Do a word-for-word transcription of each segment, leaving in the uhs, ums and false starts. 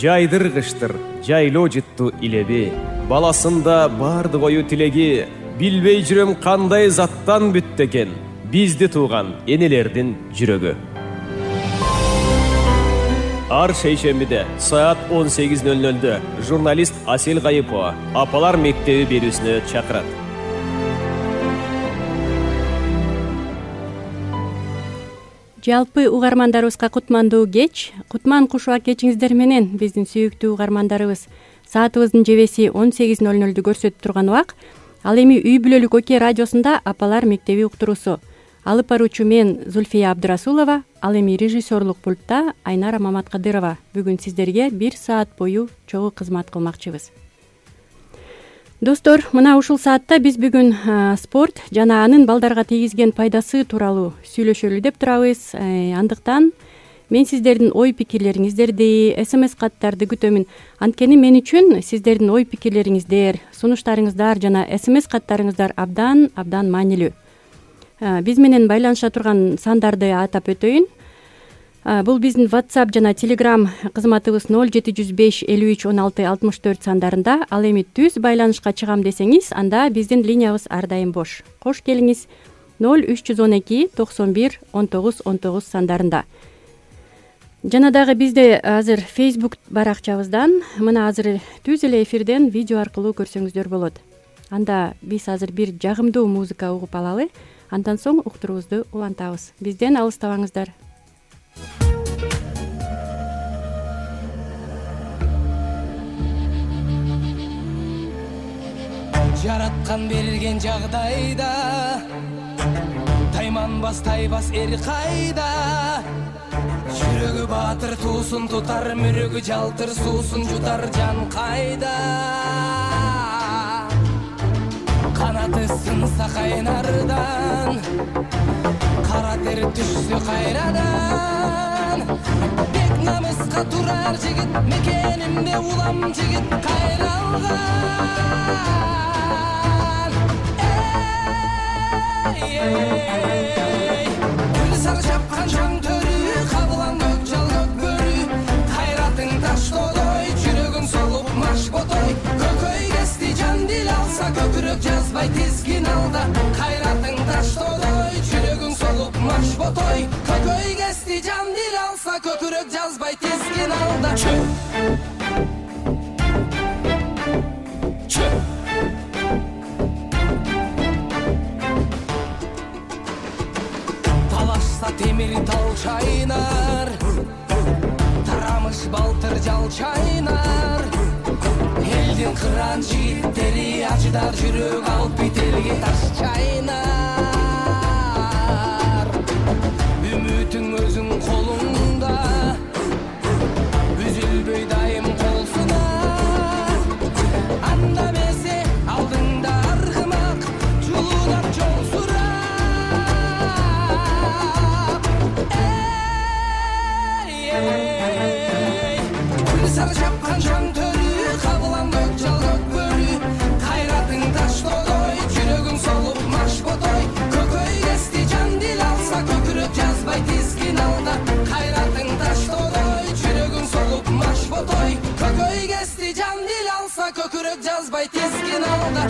жайдыргыштыр жайлоо жытту илеби, баласында бардык ою тилеги, билбей жүрөм кандай заттан бүттү экен бизди тууган энелердин жүрөгү. Ар шейшембиде саат он сегиз ноль нольдө журналист Асел Гайыпова Апалар мектеби берүүсүнө чакырат. Жалпы угармандарыбызга кутмандуу кеч. Кутман кушуа кечиңиздер менен биздин сүйүктүү угармандарыбыз. Саатыбыздын жебеси он сегиз ноль нольду көрсөтүп турган убак. Ал эми үй бүлөлүк Оке радиосунда Апалар мектеби уктуруусу. Алып баруучу мен Зульфия Абдырасулова, ал эми режиссерлук пультта Айнара Маматкадырова. Бүгүн сиздерге бир саат бою чогуу кызмат кылмакчыбыз. Достор, мына ушул саатта биз бүгүн спорт жана анын балдарга тийгизген пайдасы тууралуу сүйлөшөлү деп турабыз. Андыктан мен сиздердин ой пикирлериңиздерди, смс каттарды күтөмүн. Анткени мен үчүн сиздердин ой пикирлериңиздер, сунуштарыңыздар жана смс каттарыңыздар абдан абдан маанилүү. Биз менен байланыша турган сандарды атап өтөйүн. Бул биздин WhatsApp жана Telegram кызматыбыз ноль жети жүз беш элүү үч он алты алтымыш төрт сандарында. Ал эми түз байланышка чыгам десеңиз, анда биздин линиябыз ар дайым бош. Кош келиңиз ноль үч жүз он эки токсон бир он тогуз он тогуз сандарында. Жана дагы бизде азыр Facebook баракчабыздан мына азыр түз эле эфирден видео аркылуу көрсөңүздөр болот. Анда биз азыр бир жагымдуу музыка угуп алалы, андан соң уктуруубузду улантабыз. Бизден алыстабаңыздар. Жараткан берген жагдайда тайманбас тайбас эр кайда, жүрөгү баатыр туусун тутар, мүрөгү жалтыр суусун жутар жан кайда. Канаты сынса кайнардан, кара тер түшсө кайрадан, бек намыска турар жигит, мекенимде улам жигит кайралган. Гүл сары жапкан жан төрү, кабылан көк жал көк бөрү, кайратың таштодой, жүрөгүн солуп маш ботой, көкөй кести жан дил алса, көкүрөк жазбай тизгин алда, кайратың таштодой, жүрөгүн солуп маш ботой, көкөй кести жан дил алса, көкүрөк жазбай тизгин алда. Темир тал чайнар, тарамыш балтыр жал чайнар, элдин кыран жигиттери ачыдар, жүрөк алып бителге таш чайнар. Үмүтүң өзүң колуңда, үзүлбөй дайым колсуна, анда эмесе алдыңда аргымак, жулунап жол сура. Сары жапкан жан төрү, кабылан көк жал көк бөрү, кайратың таштодой, жүрөгүң солуп маш ботой, көкөй кести жан дил алса, көкүрөк жазбай тизгин алда, кайратың таштодой, жүрөгүң солуп маш ботой, көкөй кести жан дил алса, көкүрөк жазбай тизгин алда.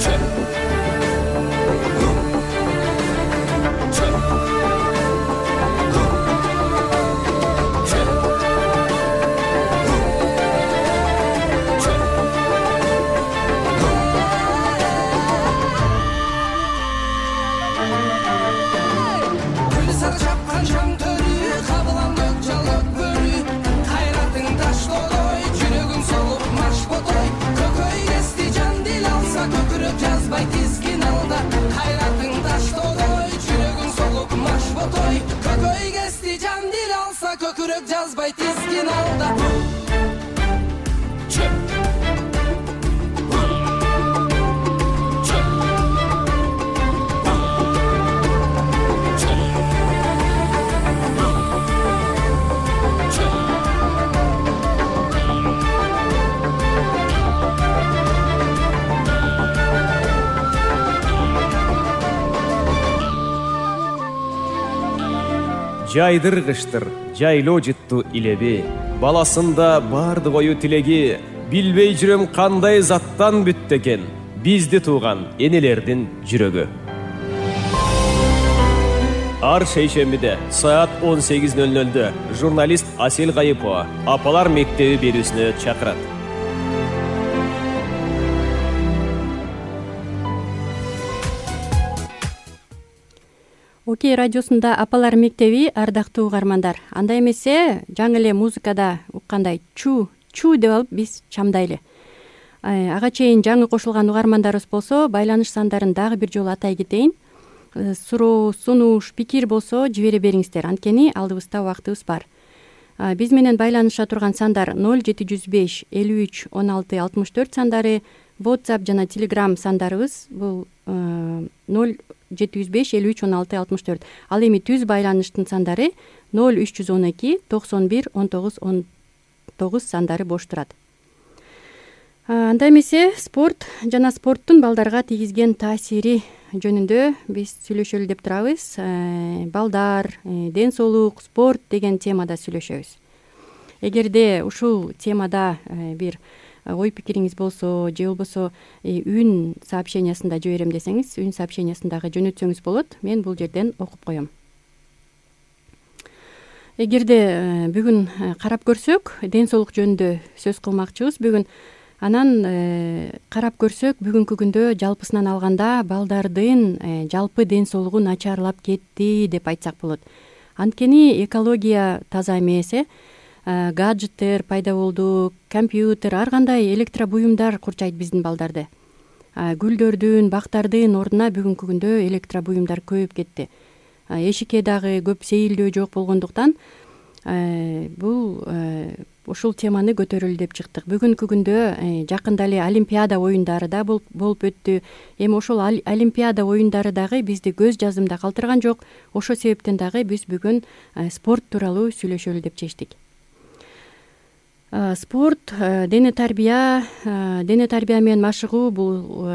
Жазбай тизгин алда, кайратың таштодой, жүрөгүң солуп маш ботой, көкөй кести жан дил алса, көкүрөк жазбай тизгин алда. жайдыргыштыр жайлоо жыттуу илеби, баласында бардык ою тилеги, билбей жүрөм кандай заттан бүттү экен бизди тууган энелердин жүрөгү. Ар шейшембиде саат он сегиз ноль нольдө журналист Асел Кайыпова Апалар мектеби берүүсүнө чакырат. Окей радиосунда Апалар мектеби, ардактуу угармандар. Анда эмесе жаңы эле музыкада уккандай чу чу деп алып биз чамдайлы. Ага чейин жаңы кошулган угармандарыбыз болсо, байланыш сандарын дагы бир жолу атай кетейин. Суроо, сунуш, пикир болсо жибере бериңиздер. Анткени алдыбызда убактыбыз бар. Биз менен байланыша турган сандар ноль жети жүз беш элүү үч он алты алтымыш төрт сандары, WhatsApp жана Telegram сандарыбыз бул ноль жети жүз беш элүү үч он алты алтымыш төрт. Ал эми түз байланыштын сандары ноль үч жүз он эки токсон бир он тогуз он тогуз сандары бош турат. Анда эмесе спорт жана спорттун балдарга тийгизген таасири жөнүндө биз сүйлөшөлү деп турабыз. Балдар, ден соолук, спорт деген темада сүйлөшөбүз. Эгерде ушул темада бир ой пикириңиз болсо, же болбосо үн сообщениясында жиберем десеңиз, үн сообщениясындагы жөнөтсөңүз болот. Мен бул жерден окуп коем. Эгерде бүгүн карап көрсөк, ден соолук жөнүндө сөз кылмакчыбыз бүгүн. Анан карап көрсөк, бүгүнкү күндө жалпысынан алганда балдардын жалпы ден соолугу начарлап кетти деп айтсак болот. Анткени экология таза эмес, гаджеттер пайда болду, компьютер, ар кандай электробуюмдар курчайт биздин балдарды. Гүлдөрдүн, бактардын ордуна бүгүнкү күндө электробуюмдар көбөйүп кетти. Эшикке дагы көп сейилдөө жок болгондуктан бул ушул теманы көтөрөлү деп чыктык. Бүгүнкү күндө жакында эле Олимпиада оюндары да болуп өттү. Эми ошол Олимпиада оюндары дагы бизди көз жазымда калтырган жок. Ошол себептен дагы биз бүгүн спорт тууралуу сүйлөшөлү деп чечтик. Спорт, дене тарбия, дене тарбия менен машыгуу бул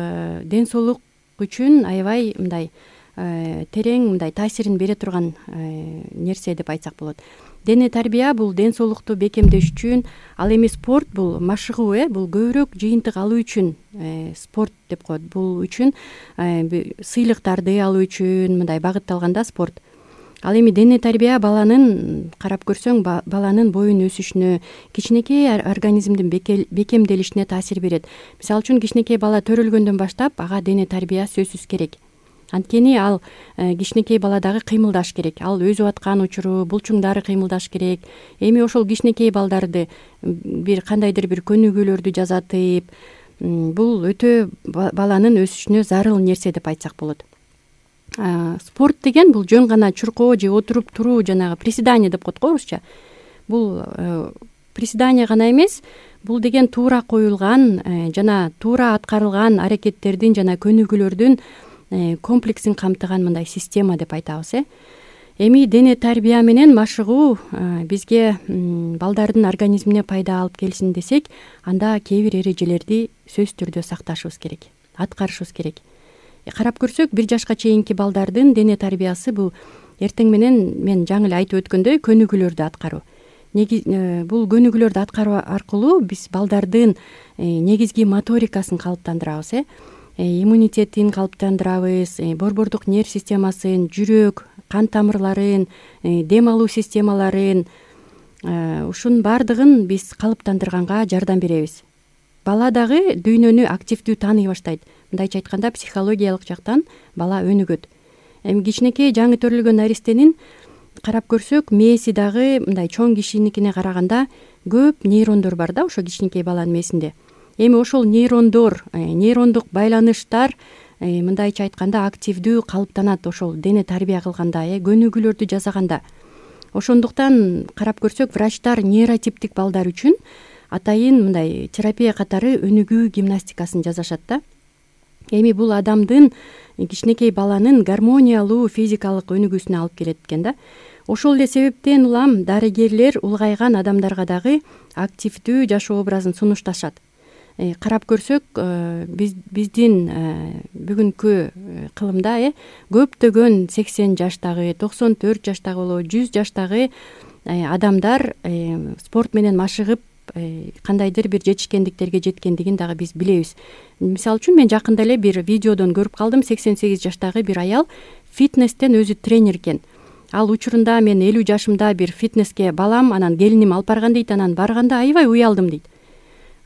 ден соолук үчүн аябай мындай терең мындай таасирин бере турган нерсе деп айтсак болот. Дене тарбия бул ден соолукту бекемдеш үчүн, ал эми спорт бул машыгуу, э бул көбүрөөк жыйынтык алуу үчүн спорт деп коет. Бул үчүн сыйлыктарды алуу үчүн мындай багытталганда спорт. Ал эми дене тарбия баланын карап көрсөң, баланын боюн өсүшүнө, кичинекей организмдин бекемделишине таасир берет. Мисалы үчүн кичинекей бала төрөлгөндөн баштап ага дене тарбия сөзсүз керек. Анткени ал кичинекей бала дагы кыймылдаш керек. Ал өзү аткан учуру булчуңдары кыймылдаш керек. Эми ошол кичинекей балдарды бир кандайдыр бир көнүгүүлөрдү жасатып, бул өтө баланын өсүшүнө зарыл нерсе деп айтсак болот. Спорт деген бул жөн гана чуркоо же отуруп туруу, жанагы приседание деп коет го орусча. Бул приседание гана эмес, бул деген туура коюлган жана туура аткарылган аракеттердин жана көнүгүүлөрдүн комплексин камтыган мындай система деп айтабыз. э Эми дене тарбия менен машыгуу бизге балдардын организмине пайда алып келсин десек, анда кээ бир эрежелерди сөзсүз түрдө сакташыбыз керек, аткарышыбыз керек. Карап көрсөк, бир жашка чейинки балдардын дене тарбиясы бул эртең менен мен жаңы эле айтып өткөндөй көнүгүүлөрдү аткаруу. Бул көнүгүүлөрдү аткаруу аркылуу биз балдардын негизги моторикасын калыптандырабыз, э иммунитетин калыптандырабыз, борбордук нерв системасын, жүрөк, кан тамырларын, дем алуу системаларын, ушунун баардыгын биз калыптандырганга жардам беребиз. Бала дагы дүйнөнү активдүү тааный баштайт. Мындайча айтканда, психологиялык жактан бала өнүгөт. Эми кичинекей жаңы төрөлгөн наристенин карап көрсөк, мээси дагы мындай чоң кишиникине караганда көп нейрондор бар да ошо кичинекей баланын мээсинде. Эми ошол нейрондор, нейрондук байланыштар мындайча айтканда активдүү калыптанат ошол дене тарбия кылганда, э көнүгүүлөрдү жасаганда. Ошондуктан карап көрсөк, врачтар нейротиптик балдар үчүн атайын мындай терапия катары өнүгүү гимнастикасын жасашат да. Эми бул адамдын, кичинекей баланын гармониялуу физикалык өнүгүүсүнө алып келет экен да. Ошол эле себептен улам дарыгерлер улгайган адамдарга дагы активдүү жашоо образын сунушташат. Карап көрсөк, биз биздин бүгүнкү кылымда э көптөгөн сексен жаштагы, токсон төрт жаштагы болобу, жүз жаштагы адамдар спорт менен машыгып кандайдыр бир жетишкендиктерге жеткендигин дагы биз билебиз. Мисалы үчүн мен жакында эле бир видеодон көрүп калдым. сексен сегиз жаштагы бир аял фитнестен өзү тренер экен. Ал учурунда мен элүү жашымда бир фитнеске балам, анан келиним алып барган дейт. Анан барганда аябай уялдым дейт.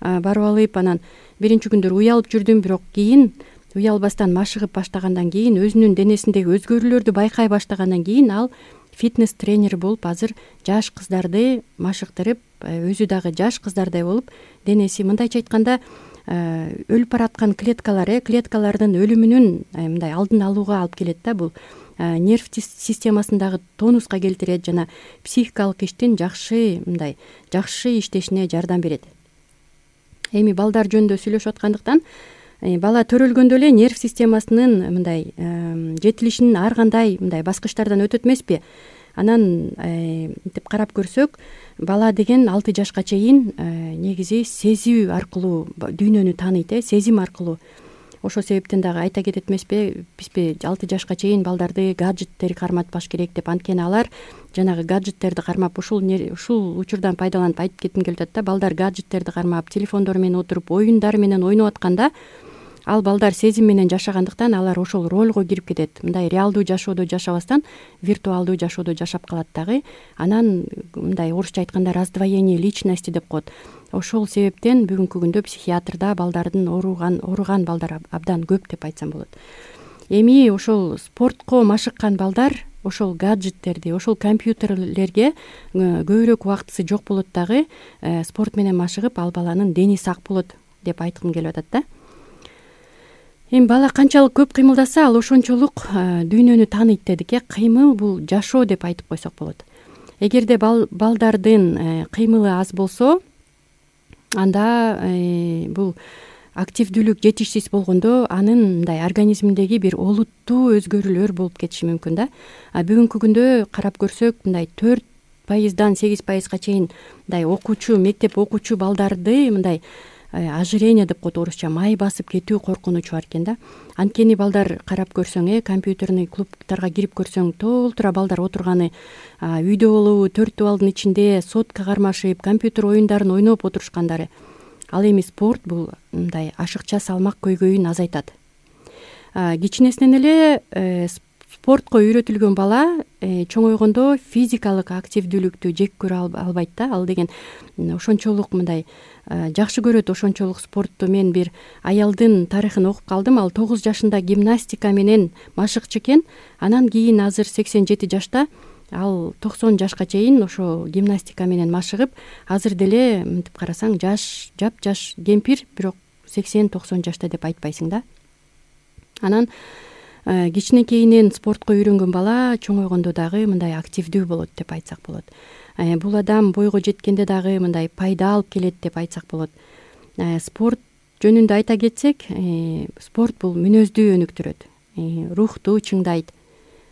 Барып алып анан биринчи күндөр уялып жүрдүм, бирок кийин уялбастан машыгып баштагандан кийин, өзүнүн денесиндеги өзгөрүүлөрдү байкай баштагандан кийин ал фитнес тренери болуп азыр жаш кыздарды машыктырып, өзү дагы жаш кыздардай болуп, денеси мындайча айтканда өлүп бараткан клеткалар, э клеткалардын өлүмүнүн мындай алдын алууга алып келет да. Бул нерв системасындагы тонуска келтирет жана психикалык иштин жакшы мындай жакшы иштешине жардам берет. Эми балдар жөнүндө сүйлөшүп аткандыктан, бала төрөлгөндө эле нерв системасынын мындай жетилишинин ар кандай мындай баскычтардан өтөт эмеспи? Анан мынтип карап көрсөк, бала деген алты жашка чейин негизи сезүү аркылуу дүйнөнү тааныйт, э сезим аркылуу. Ошол себептен дагы айта кетет эмеспи, бизби алты жашка чейин балдарды гаджеттер карматпаш керек деп. Анткени алар жанагы гаджеттерди кармап, ушул ушул учурдан пайдаланып айтып кетким келип атат да. Балдар гаджеттерди кармап, телефондор менен отуруп, оюндар менен ойноп атканда, ал балдар сезим менен жашагандыктан алар ошол ролго кирип кетет. Мындай реалдуу жашоодо жашабастан виртуалдуу жашоодо жашап калат дагы. Анан мындай орусча айтканда раздвоение личности деп коет. Ошол себептен бүгүнкү күндө психиатрда балдардын ооруган ооруган балдар абдан көп деп айтсам болот. Эми ошол спортко машыккан балдар ошол гаджеттерди, ошол компьютерлерге көбүрөөк убактысы жок болот дагы. Спорт менен машыгып, ал баланын дени сак болот деп айткым келип атат да. Эми бала канчалык көп кыймылдаса, ал ошончолук дүйнөнү тааныйт дедик, э кыймыл бул жашоо деп айтып койсок болот. Эгерде бал балдардын кыймылы аз болсо, анда бул активдүүлүк жетишсиз болгондо анын мындай организминдеги бир олуттуу өзгөрүүлөр болуп кетиши мүмкүн да. А бүгүнкү күндө карап көрсөк, мындай төрт пайыздан сегиз пайызга чейин мындай окуучу, мектеп окуучу балдарды мындай ожирение деп коет орусча, май басып кетүү коркунучу бар экен да. Анткени балдар карап көрсөң, э компьютерный клубтарга кирип көрсөң, толтура балдар отурганы, үйдө болобу, төрт абалдын ичинде сотка кармашып, компьютер оюндарын ойноп отурушкандары. Ал эми спорт бул мындай ашыкча салмак көйгөйүн азайтат. Кичинесинен эле спортко үйрөтүлгөн бала чоңойгондо физикалык активдүүлүктү жек көрө албайт да. Ал деген ошончолук мындай жакшы көрөт ошончолук спортту. Мен бир аялдын тарыхын окуп калдым. Ал тогуз жашында гимнастика менен машыкчы экен. Анан кийин азыр сексен жети жашта, ал токсон жашка чейин ошо гимнастика менен машыгып, азыр деле мынтип карасаң жаш, жап-жаш кемпир, бирок сексен токсон жашта деп айтпайсың да. Анан кичинекейинен спортко үйрөнгөн бала чоңойгондо дагы мындай активдүү болот деп айтсак болот. Бул адам бойго жеткенде дагы мындай пайда алып келет деп айтсак болот. Спорт жөнүндө айта кетсек, спорт бул мүнөздү өнүктүрөт, рухту чыңдайт.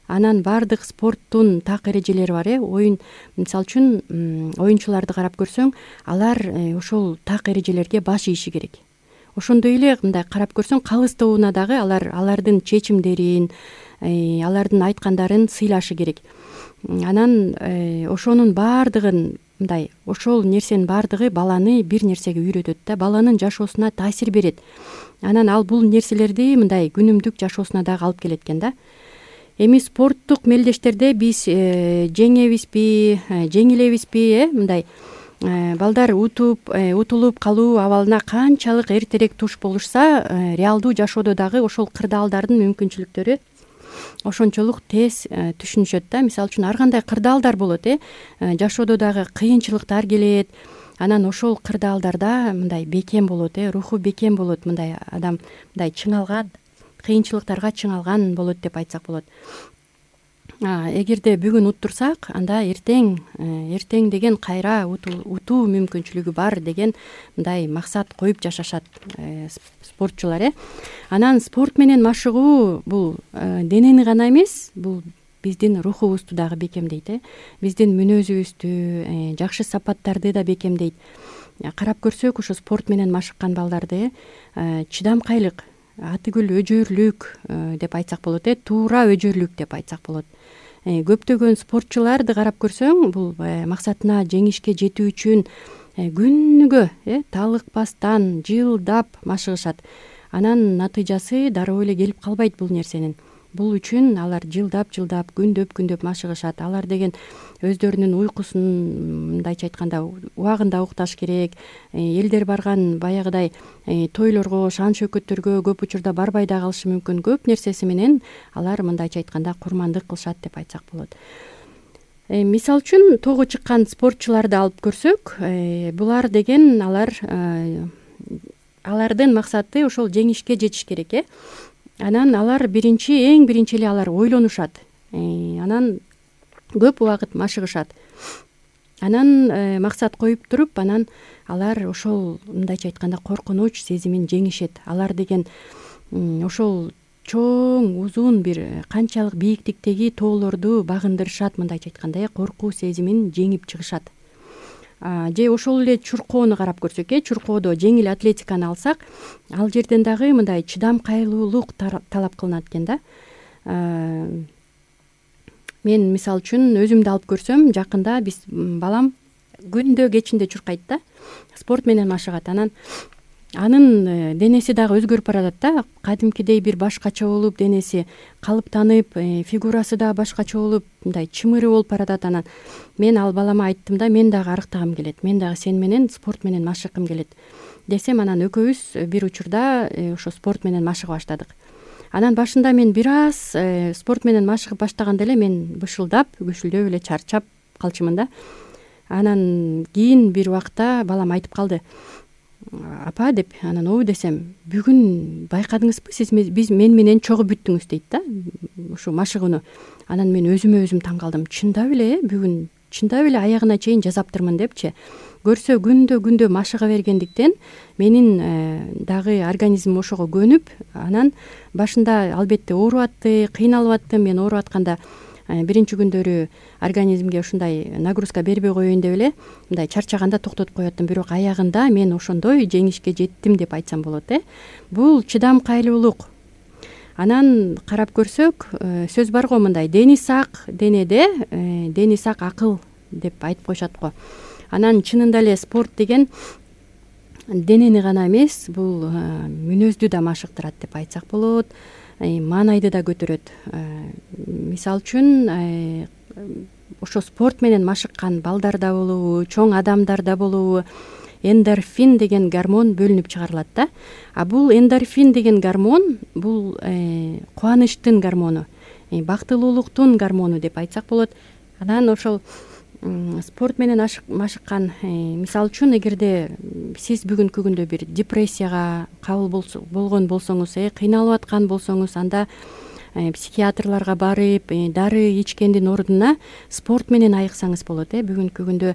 Анан бардык спорттун так эрежелери бар, э оюн, мисалы үчүн оюнчуларды карап көрсөң, алар ошол так эрежелерге баш ийиши керек. Ошондой эле мындай карап көрсөң, калыс тобуна дагы алар алардын чечимдерин, алардын айткандарын сыйлашы керек. Анан ошонун бардыгын мындай ошол нерсенин бардыгы баланы бир нерсеге үйрөтөт да, баланын жашоосуна таасир берет. Анан ал бул нерселерди мындай күнүмдүк жашоосуна дагы алып келет экен да. Эми спорттук мелдештерде биз жеңебизби, жеңилебизби, э мындай балдар утуп, утулуп калуу абалына канчалык эртерээк туш болушса, реалдуу жашоодо дагы ошол кырдаалдардын мүмкүнчүлүктөрү ошончолук тез түшүнүшөт да. Мисалы үчүн ар кандай кырдаалдар болот, э жашоодо дагы кыйынчылыктар келет. Анан ошол кырдаалдарда мындай бекем болот, э руху бекем болот, мындай адам мындай чыңалган, кыйынчылыктарга чыңалган болот деп айтсак болот. Эгерде бүгүн уттурсак, анда эртең эртең деген кайра утуу мүмкүнчүлүгү бар деген мындай максат коюп жашашат спортчулар, э Анан спорт менен машыгуу бул денени гана эмес, бул биздин рухубузду дагы бекемдейт, э биздин мүнөзүбүздү, жакшы сапаттарды да бекемдейт. Карап көрсөк, ошо спорт менен машыккан балдарды чыдамкайлык, атыгүл өжөрлүк деп айтсак болот, э туура өжөрлүк деп айтсак болот. көптөгөн спортчуларды карап көрсөң, бул максатына жеңишке жетүү үчүн күнүгө талыкпастан жылдап машыгышат. Анан натыйжасы дароо эле келип калбайт бул нерсенин. Бул үчүн алар жылдап жылдап күндөп күндөп машыгышат. Алар деген өздөрүнүн уйкусун мындайча айтканда убагында укташ керек. Элдер барган баягыдай тойлорго, шан шөкөттөргө көп учурда барбай да калышы мүмкүн. Көп нерсеси менен алар мындайча айтканда курмандык кылышат деп айтсак болот. Мисалы үчүн тоого чыккан спортчуларды алып көрсөк, булар деген алар алардын максаты ошол жеңишке жетиш керек э. Анан алар биринчи эң биринчи эле алар ойлонушат. Анан көп убакыт машыгышат. Анан максат коюп туруп, анан алар ошол мындайча айтканда коркунуч сезимин жеңишет. Алар деген ошол чоң, узун бир канчалык бийиктиктеги тоолорду багындырышат, мындайча айтканда коркуу сезимин жеңип чыгышат. Же ошол эле чуркоону карап көрсөк, э чуркоодо жеңил атлетиканы алсак, ал жерден дагы мындай чыдам кайрылуулук талап кылынат экен да. Мен мисалы үчүн өзүмдү алып көрсөм, жакында биз балам күндө кечинде чуркайт да, спорт менен машыгат. Анан анын денеси дагы өзгөрүп баратат да, кадимкидей бир башкача болуп, денеси калыптанып, фигурасы да башкача болуп, мындай чымыры болуп баратат. Анан мен ал балама айттым да, мен дагы арыктагым келет, мен дагы сен менен спорт менен машыгкым келет десем, анан экөөбүз бир учурда ошо спорт менен машыга баштадык. Анан башында мен бир аз спорт менен машыгып баштаганда эле мен бышылдап, күшүлдөп эле чарчап калчумун да. Анан кийин бир убакта балам айтып калды: апа деп. Анан ой десем, бүгүн байкадыңызбы, сиз биз мен менен чогуу бүттүңүз дейт да, ушу машыгууну. Анан мен өзүмө өзүм таң калдым. Чындап эле бүгүн чындап эле аягына чейин жасаптырмын депчи. Көрсө күндө күндө машыга бергендиктен менин дагы организмим ошого көнүп, анан башында албетте ооруп атты, кыйналып аттым. Мен ооруп атканда биринчи күндөрү организмге ушундай нагрузка бербей коеюн деп эле мындай чарчаганда токтотуп коюп аттым. Бирок аягында мен ошондой жеңишке жеттим деп айтсам болот э. Бул чыдам кайрылуулук. Анан карап көрсөк, сөз бар го мындай: дени сак денеде, дени сак акыл деп айтып коюшат го. Анан чынында эле спорт деген денени гана эмес, бул мүнөздү да машыктырат деп айтсак болот. Маанайды да көтөрөт. Мисалы үчүн ошо спорт менен машыккан балдарда болобу, чоң адамдарда болобу, эндорфин деген гормон бөлүнүп чыгарылат да. А бул эндорфин деген гормон бул кубанычтын гормону, бактылуулуктун гормону деп айтсак болот. Анан ошол спорт менен машыккан, мисалы үчүн, эгерде сиз бүгүнкү күндө бир депрессияга кабыл болгон болсоңуз, кыйналып аткан болсоңуз, анда психиатрларга барып, дары ичкендин ордуна спорт менен айыксаңыз болот. Бүгүнкү күндө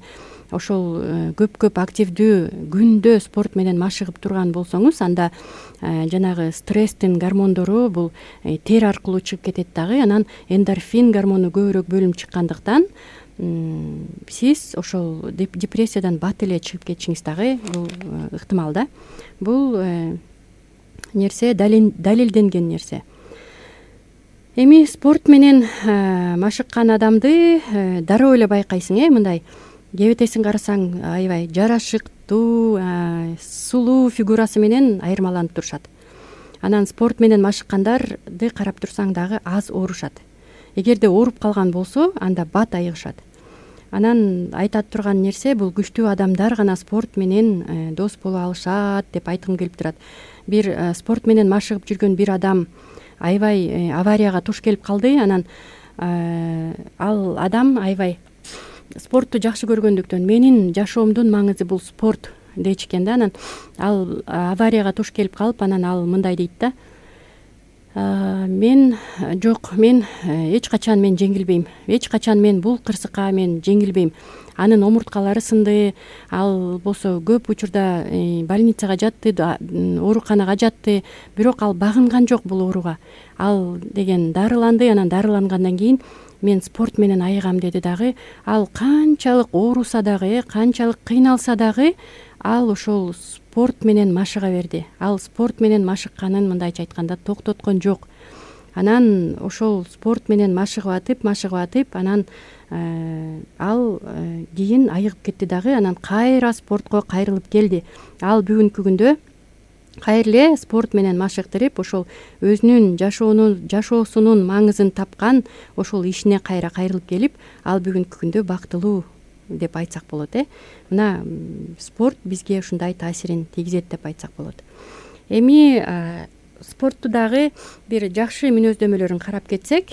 ошол көп-көп активдүү күндө спорт менен машыгып турган болсоңуз, анда жанагы стресстин гормондору бул тер аркылуу чыгып кетет дагы. Анан эндорфин гормону көбүрөөк бөлүнүп чыккандыктан сиз ошол депрессиядан бат эле чыгып кетишиңиз дагы бул ыктымал да. Бул нерсе далилденген нерсе. Эми спорт менен машыккан адамды дароо эле байкайсың, э мындай кебетесин карасаң аябай жарашыктуу, сулуу фигурасы менен айырмаланып турушат. Анан спорт менен машыккандарды карап турсаң дагы аз оорушат. Эгерде ооруп калган болсо, анда бат айыгышат. Анан айтат турган нерсе, бул күчтүү адамдар гана спорт менен дос боло алышат деп айткым келип турат. Бир спорт менен машыгып жүргөн бир адам аябай аварияга туш келип калды. Анан ал адам аябай спортту жакшы көргөндүктөн менин жашоомдун маңызы бул спорт дечкен да. Анан ал аварияга туш келип калып, анан ал мындай дейт да: мен жок, мен эч качан мен жеңилбейм. Эч качан мен бул кырсыкка мен жеңилбейм. Анын омурткалары сынды, ал болсо көп учурда больницага жатты, ооруканага жатты, бирок ал багынган жок бул ооруга. Ал деген дарыланды, анан дарылангандан кийин мен спорт менен айыгам деди дагы. Ал канчалык ооруса дагы, канчалык кыйналса дагы, ал ошол спорт менен машыга берди. Ал спорт менен машыкканын мындайча айтканда токтоткон жок. анан ошол спорт менен машыгып атып машыгып атып анан ал кийин айыгып кетти дагы, анан кайра спортко кайрылып келди. Ал бүгүнкү күндө кайра эле спорт менен машыктырып, ошол өзүнүн жашоонун жашоосунун маңызын тапкан ошол ишине кайра кайрылып келип, ал бүгүнкү күндө бактылуу деп айтсак болот. э Мына спорт бизге ушундай таасирин тийгизет деп айтсак болот. Эми спортту дагы бир жакшы мүнөздөмөлөрүн карап кетсек,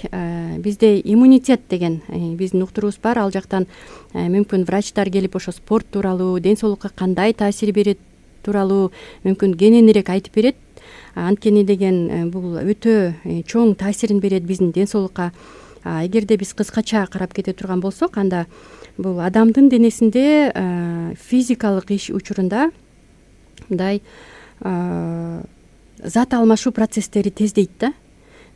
бизде иммунитет деген биздин уктуруубуз бар. Ал жактан мүмкүн врачтар келип ошо спорт тууралуу, ден соолукка кандай таасир берет тууралуу мүмкүн кененирээк айтып берет. Анткени деген бул өтө чоң таасирин берет биздин ден соолукка. Эгерде биз кыскача карап кете турган болсок, анда бул адамдын денесинде физикалык иш учурунда мындай зат алмашуу процесстери тездейт да.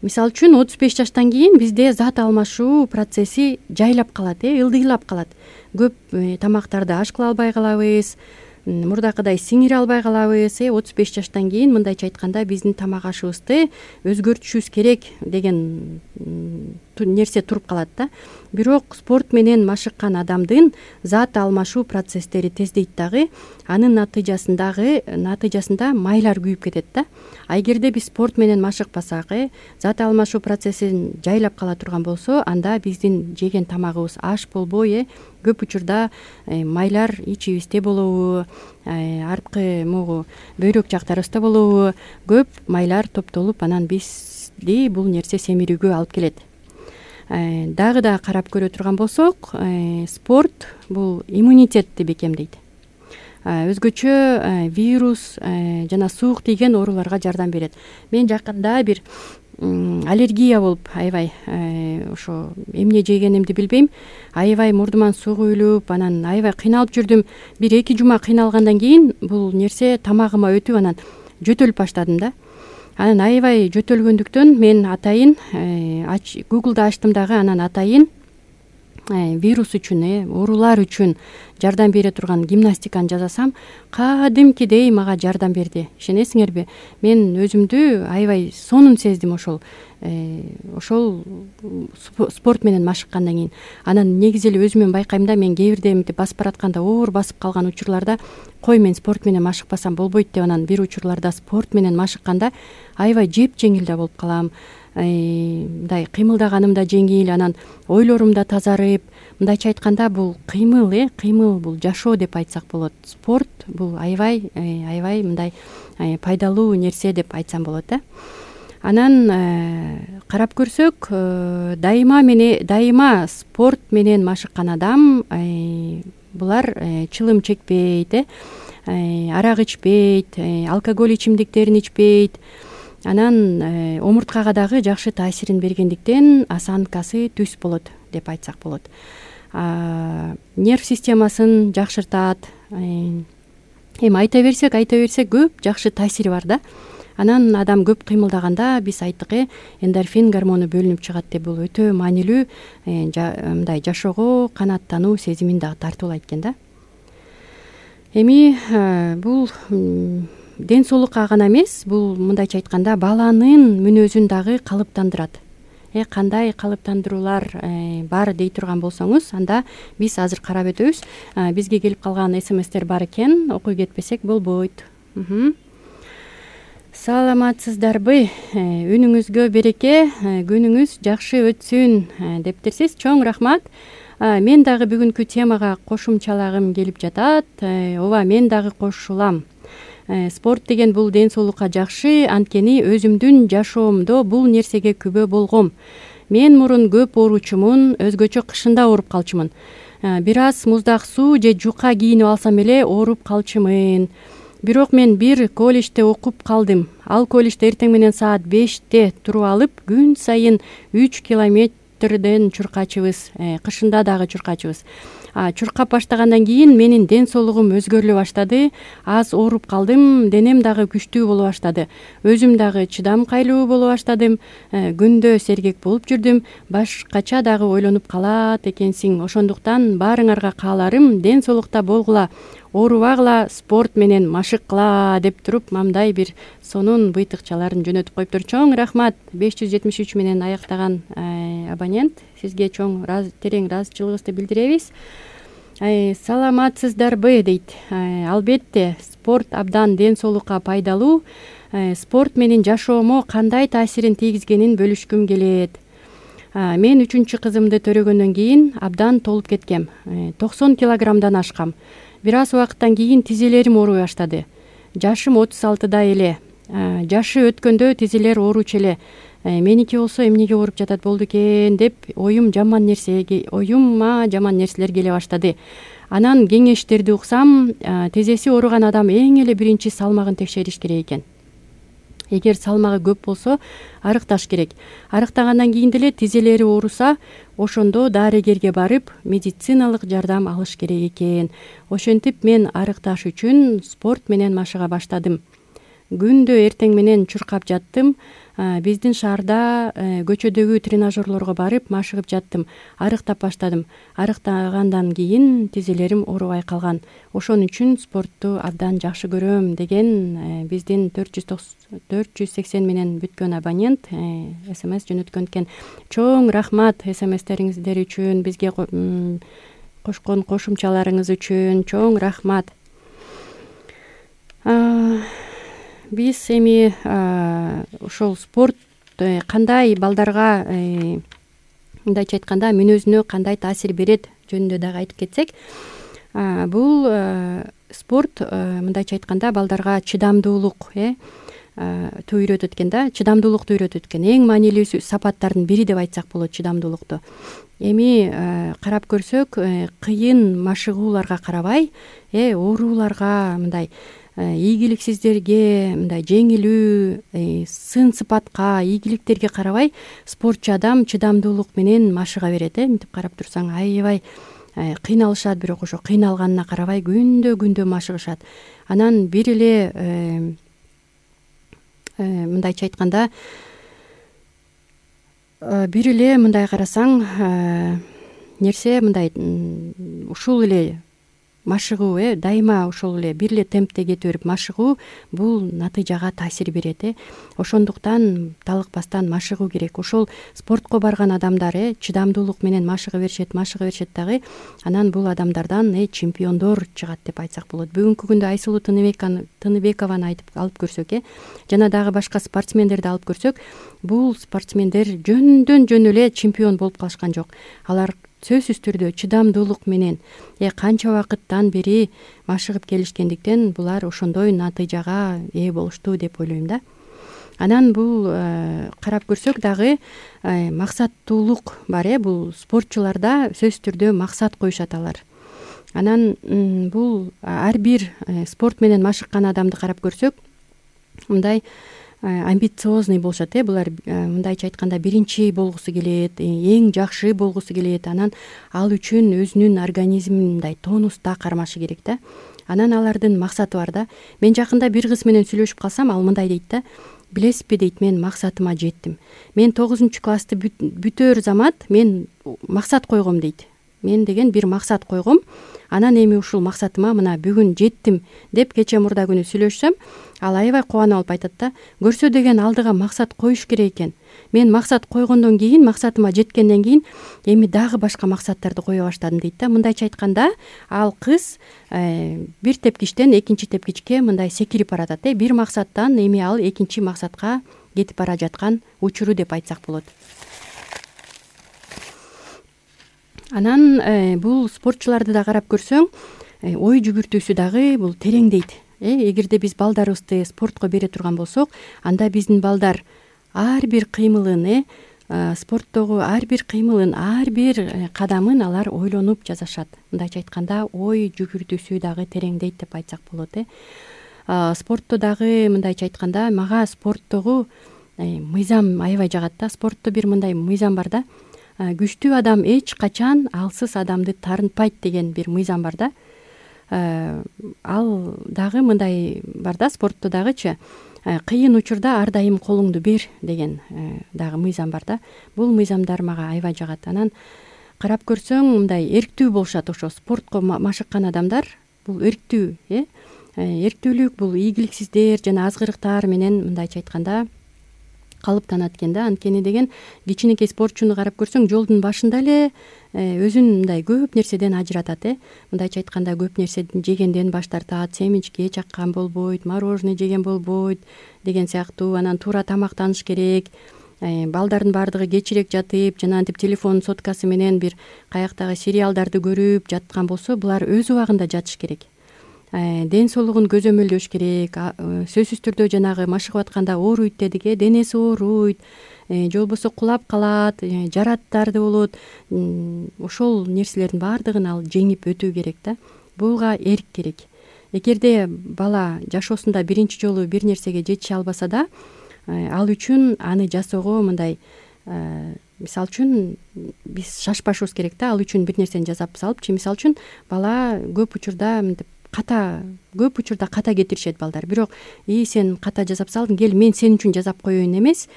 Мисалы үчүн отуз беш жаштан кийин бизде зат алмашуу процесси жайлап калат, э ылдыйлап калат. Көп тамактарды аш кыла албай калабыз, мурдакыдай сиңире албай калабыз. э отуз беш жаштан кийин мындайча айтканда биздин тамак ашыбызды өзгөртүшүбүз керек деген нерсе туруп калат да. Бирок спорт менен машыккан адамдын зат алмашуу процесстери тездейт дагы, анын натыйжасындагы натыйжасында майлар күйүп кетет да. А эгерде биз спорт менен машыкпасак, э зат алмашуу процессин жайлап кала турган болсо, анда биздин жеген тамагыбыз аш болбой, э көп учурда майлар ичибизде болобу, аркы могу бөйрөк жактарыбызда болобу, көп майлар топтолуп, анан бизди бул нерсе семирүүгө алып келет. Дагы да карап көрө турган болсок, спорт бул иммунитетти бекемдейт. Өзгөчө вирус жана суук тийген ооруларга жардам берет. Мен жакында бир аллергия болуп, аябай ошо эмне жегенимди билбейм, аябай мурдуман суу күйүлүп, анан аябай кыйналып жүрдүм. Бир эки жума кыйналгандан кийин бул нерсе тамагыма өтүп, анан жөтөлүп баштадым да. Анан аябай жөтөлгөндүктөн мен атайын Google'да ачтым дагы, анан атайын вирус үчүн, оорулар үчүн жардам бере турган гимнастиканы жазасам, кадимкидей мага жардам берди. Ишенесиңерби? Мен өзүмдү аябай сонун сездим ошол ошол спорт менен машыккандан кийин. Анан негизи эле өзүмөн байкайм да, мен кээ бирде мынтип басып баратканда оор басып калган учурларда кой мен спорт менен машыкпасам болбойт деп, анан бир учурларда спорт менен машыкканда аябай жеп жеңил да болуп калам. Мындай кыймылдаганым да жеңил, анан ойлорум да тазарып, мындайча айтканда бул кыймыл, э кыймыл бул жашоо деп айтсак болот. Спорт бул аябай аябай мындай пайдалуу нерсе деп айтсам болот да. Анан карап көрсөк, дайыма мене дайыма спорт менен машыккан адам булар чылым чекпейт, э арак ичпейт, алкоголь ичимдиктерин ичпейт. Анан омурткага дагы жакшы таасирин бергендиктен осанкасы түз болот деп айтсак болот. Нерв системасын жакшыртат. Эми айта берсек, айта берсек көп жакшы таасири бар да. Анан адам көп кыймылдаганда биз айттык, э эндорфин гормону бөлүнүп чыгат деп, бул өтө маанилүү, мындай жашоого канааттануу сезимин дагы тартуулайт экен да. Эми бул ден соолукка гана эмес, бул мындайча айтканда баланын мүнөзүн дагы калыптандырат. Э кандай калыптандыруулар бар дей турган болсоңуз, анда биз азыр карап өтөбүз. Бизге келип калган смстер бар экен, окуй кетпесек болбойт. Саламатсыздарбы? Үнүңүзгө береке, күнүңүз жакшы өтсүн дептерсиз. Чоң рахмат. Мен дагы бүгүнкү темага кошумчалагым келип жатат. Ооба, мен дагы кошулам. Спорт деген бул ден соолукка жакшы, анткени өзүмдүн жашоомдо бул нерсеге күбө болгом. Мен мурун көп ооручумун, өзгөчө кышында ооруп калчумун. Бир аз муздак суу же жука кийинип алсам эле ооруп калчумун. Бирок мен бир колледжде окуп калдым. Ал колледжде эртең менен саат беште туруп алып, күн сайын үч километрден чуркачыбыз, кышында дагы чуркачыбыз. Чуркап баштагандан кийин менин ден соолугум өзгөрүлө баштады. Аз ооруп калдым, денем дагы күчтүү боло баштады. Өзүм дагы чыдамкайлуу боло баштадым. Күндө сергек болуп жүрдүм. Башкача дагы ойлонуп калат экенсиң. Ошондуктан баарыңарга кааларым, ден соолукта болгула. оорубагыла, спорт менен машыккыла деп туруп мамдай бир сонун быйтыкчаларын жөнөтүп коюптур. Чоң рахмат. беш жүз жетимиш үч менен аяктаган абонент, сизге чоң терең ыраазычылыгыбызды билдиребиз. Саламатсыздарбы дейт. Албетте, спорт абдан ден соолукка пайдалуу. Спорт менин жашоомо кандай таасирин тийгизгенин бөлүшкүм келет. Мен үчүнчү кызымды төрөгөндөн кийин абдан толуп кеткем. токсон килограммдан ашкам. Бир аз убакыттан кийин тизелерим ооруй баштады. Жашым отуз алтыда эле. Жашы өткөндө тизелер ооручу эле. Меники болсо эмнеге ооруп жатат болду экен деп оюм жаман нерсеге, оюмма жаман нерселер келе баштады. Анан кеңештерди уксам, тизеси ооруган адам эң эле биринчи салмагын текшериш керек экен. Эгер салмагы көп болсо, арыкташ керек. Арыктагандан кийин деле тизелери ооруса, ошондо дарыгерге барып, медициналык жардам алыш керек экен. Ошентип мен арыкташ үчүн спорт менен машыга баштадым. Күндө эртең менен чуркап жаттым. Биздин шаарда көчөдөгү тренажерлорго барып машыгып жаттым. Арыктап баштадым. Арыктагандан кийин тизелерим оорубай калган. Ошон үчүн спортту абдан жакшы көрөм деген биздин төрт жүз сексен менен бүткөн абонент смс жөнөткөн экен. Чоң рахмат смстериңиздер үчүн, бизге кошкон кошумчаларыңыз үчүн чоң рахмат. Биз эми ошол спорт кандай балдарга, мындайча айтканда, мүнөзүнө кандай таасир берет жөнүндө дагы айтып кетсек, бул спорт мындайча айтканда балдарга чыдамдуулук ту үйрөтөт экен да, чыдамдуулукту үйрөтөт экен. Эң маанилүү сапаттардын бири деп айтсак болот чыдамдуулукту. Эми карап көрсөк, кыйын машыгууларга карабай, ооруларга, мындай ийгиликсиздерге, мындай жеңилүү, сын сыпатка, ийгиликтерге карабай спортчу адам чыдамдуулук менен машыга берет. Мынтип карап турсаң аябай кыйналышат, бирок ошо кыйналганына карабай күндө күндө машыгышат. Анан бир эле мындайча айтканда, бир эле мындай карасаң нерсе мындай ушул эле машыгуу, э дайыма ошол эле бир эле темпте кете берип машыгуу бул натыйжага таасир берет. э Ошондуктан талыкпастан машыгуу керек. Ошол спортко барган адамдар э чыдамдуулук менен машыга беришет, машыга беришет дагы. Анан бул адамдардан э чемпиондор чыгат деп айтсак болот. Бүгүнкү күндө Айсулуу Тыныбекованы айтып алып көрсөк, э жана дагы башка спортсмендерди алып көрсөк, бул спортсмендер жөндөн жөн эле чемпион болуп калышкан жок. Алар сөзсүз түрдө чыдамдуулук менен э канча убакыттан бери машыгып келишкендиктен булар ошондой натыйжага ээ болушту деп ойлойм да. Анан бул карап көрсөк дагы максаттуулук бар, э бул спортчуларда сөзсүз түрдө максат коюшат алар. Анан бул ар бир спорт менен машыккан адамды карап көрсөк, мындай амбициозный болушат, э булар мындайча айтканда биринчи болгусу келет, эң жакшы болгусу келет. Анан ал үчүн өзүнүн организмин мындай тонуста кармашы керек да. Анан алардын максаты бар да. Мен жакында бир кыз менен сүйлөшүп калсам, ал мындай дейт да: билесизби дейт, мен максатыма жеттим. Мен тогузунчу классты бүтөр замат мен максат койгом дейт. Мен деген бир максат койгом. Анан эми ушул максатыма мына бүгүн жеттим деп кече мурда күнү сүйлөшсөм, ал аябай кубанып алып айтат да: көрсө деген алдыга максат коюш керек экен. Мен максат койгондон кийин, максатыма жеткенден кийин эми дагы башка максаттарды кое баштадым дейт да. Мындайча айтканда, ал кыз бир тепкичтен экинчи тепкичке мындай секирип баратат, э бир максаттан эми ал экинчи максатка кетип бара жаткан учуру деп айтсак болот. Анан бул спортчуларды да карап көрсөң, ой жүгүртүүсү дагы бул тереңдейт. Э эгерде биз балдарыбызды спортко бере турган болсок, анда биздин балдар ар бир кыймылын, э спорттогу ар бир кыймылын, ар бир кадамын алар ойлонуп жасашат. Мындайча айтканда, ой жүгүртүүсү дагы тереңдейт деп айтсак болот. э Спортто дагы мындайча айтканда, мага спорттогу мыйзам аябай жагат да. Спортто бир мындай мыйзам бар да: күчтүү адам эч качан алсыз адамды тарынтпайт деген бир мыйзам бар да. Ал дагы мындай бар да, спортто дагычы кыйын учурда ар дайым колуңду бер деген дагы мыйзам бар да. Бул мыйзамдар мага аябай жагат. Анан карап көрсөң, мындай эрктүү болушат ошо спортко машыккан адамдар. бул эрктүү, э эрктүүлүк бул ийгиликсиздер жана азгырыктар менен мындайча айтканда калыптанат экен да. Анткени деген кичинекей спортчуну карап көрсөң жолдун башында эле өзүн мындай көп нерседен ажыратат, э мындайча айтканда көп нерсе жегенден баш тартат, семечке чаккан болбойт, мороженое жеген болбойт деген сыяктуу. Анан туура тамактаныш керек, балдардын баардыгы кечирээк жатып жана антип телефон соткасы менен бир каяктагы сериалдарды көрүп жаткан болсо, булар өз убагында жатыш керек. Ден соолугун көзөмөлдөш керек. Сөзсүз түрдө жанагы машыгып атканда ооруйт дедик, э денеси ооруйт, же болбосо кулап калат, жараттарды болот. Ошол нерселердин баардыгын ал жеңип өтүү керек да. Буга эрк керек. Эгерде бала жашоосунда биринчи жолу бир нерсеге жетише албаса да, ал үчүн аны жасоого мындай, мисалы үчүн биз шашпашыбыз керек да. Ал үчүн бир нерсени жасап салыпчы, мисалы үчүн бала көп учурда мынтип ката, көп учурда ката кетиришет балдар. Бирок и сен ката жасап салдың, кел мен сен үчүн жасап коеюн эмес.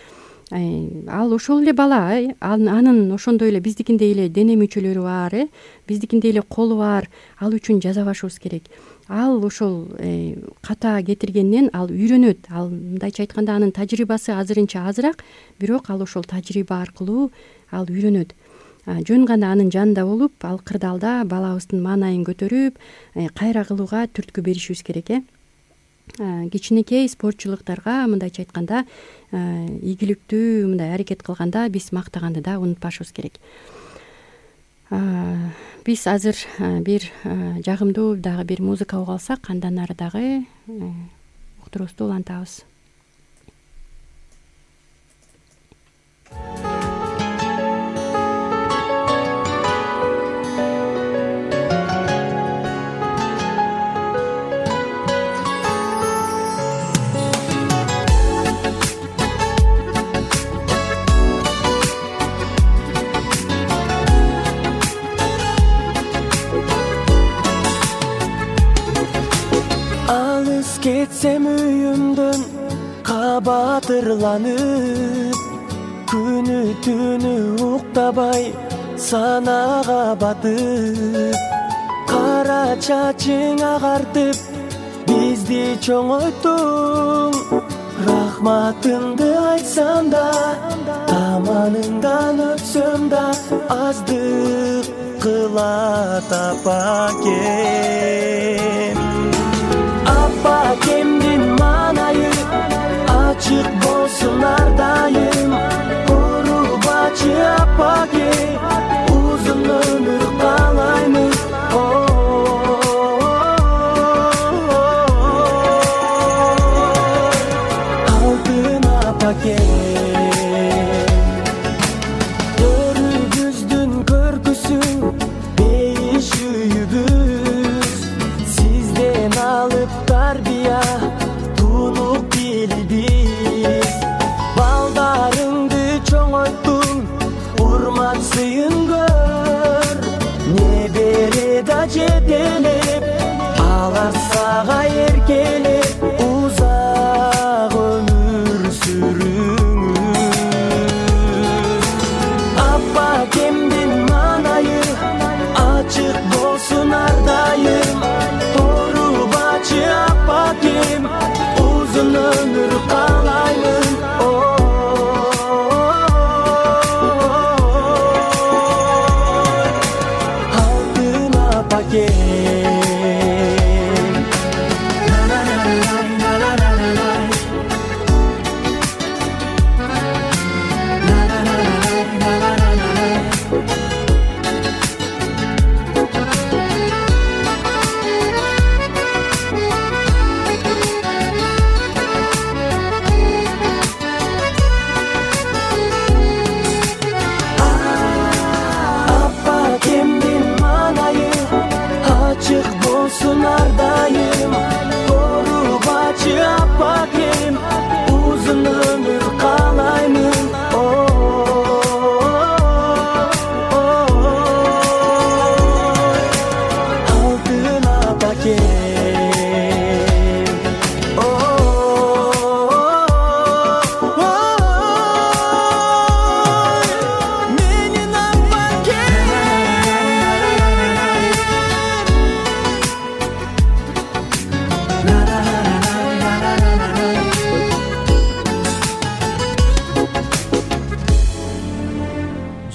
Ал ошол эле бала, анын ошондой эле биздикиндей эле дене мүчөлөрү бар, э биздикиндей эле колу бар. Ал үчүн жазабашыбыз керек. Ал ошол ката кетиргенден ал үйрөнөт. Ал мындайча айтканда анын тажрыйбасы азырынча азыраак, бирок ал ошол тажрыйба аркылуу ал үйрөнөт. Жөн гана анын жанында болуп, ал кырдаалда балабыздын маанайын көтөрүп, кайра кылууга түрткү беришибиз керек, э кичинекей спортчулуктарга мындайча айтканда ийгиликтүү мындай аракет кылганда биз мактаганды да унутпашыбыз керек. Биз азыр бир жагымдуу дагы бир музыка угуп алсак, андан ары дагы уктуруубузду улантабыз. Кетсем үйүмдөн кабатырланып, күнү түнү уктабай санага батып, кара чачың агартып бизди чоңойттуң. Рахматыңды айтсам да, аманыңдан өтсөм да, аздык кылат апакем. Апакемдин маанайы ачык болсун ар дайым. Урубачы апаке, узун өмүр каалаймыз. Алтын апаке, өрүбүздүн көркүсү бейиш үйүбүз, сизден алып тарбия тунук билбиз. Балдарыңды чоңойттуң, урмат сыйын көр. Небере да жетелеп, алар сага эркелеп, узак өмүр сүрүңүз. Апакемдин маанайы ачык болсун ар дайым. Апакем,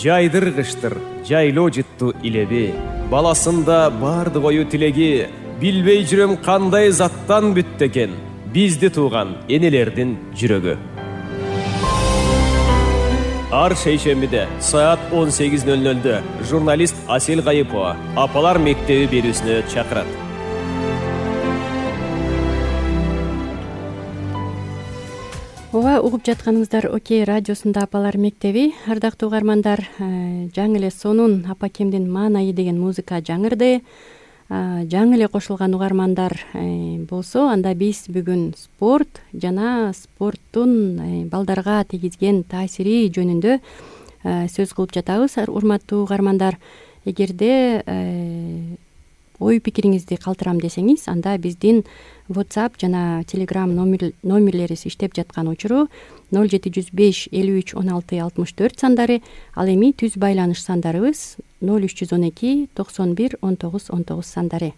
жайдыргычтыр жайлоо жыттуу илеби, баласында бардык ою тилеги, билбей жүрөм кандай заттан бүттү экен бизди тууган энелердин жүрөгү. Ар шейшембиде саат он сегиз ноль нольдө журналист Асел Гайыпова Апалар мектеби берүүсүнө чакырат. Ооба, угуп жатканыңыздар Окей радиосунда Апалар мектеби. Ардактуу угармандар, жаңы эле сонун Апакемдин маанайы деген музыка жаңырды. Жаңы эле кошулган угармандар болсо, анда биз бүгүн спорт жана спорттун балдарга тийгизген таасири жөнүндө сөз кылып жатабыз. Урматтуу угармандар, эгерде ой пикириңизди калтырам десеңиз, анда биздин WhatsApp жана Telegram номерлерибиз иштеп жаткан учуру ноль жети жүз беш элүү үч он алты алтымыш төрт сандары, ал эми түз байланыш сандарыбыз ноль үч жүз он эки токсон бир он тогуз он тогуз сандары.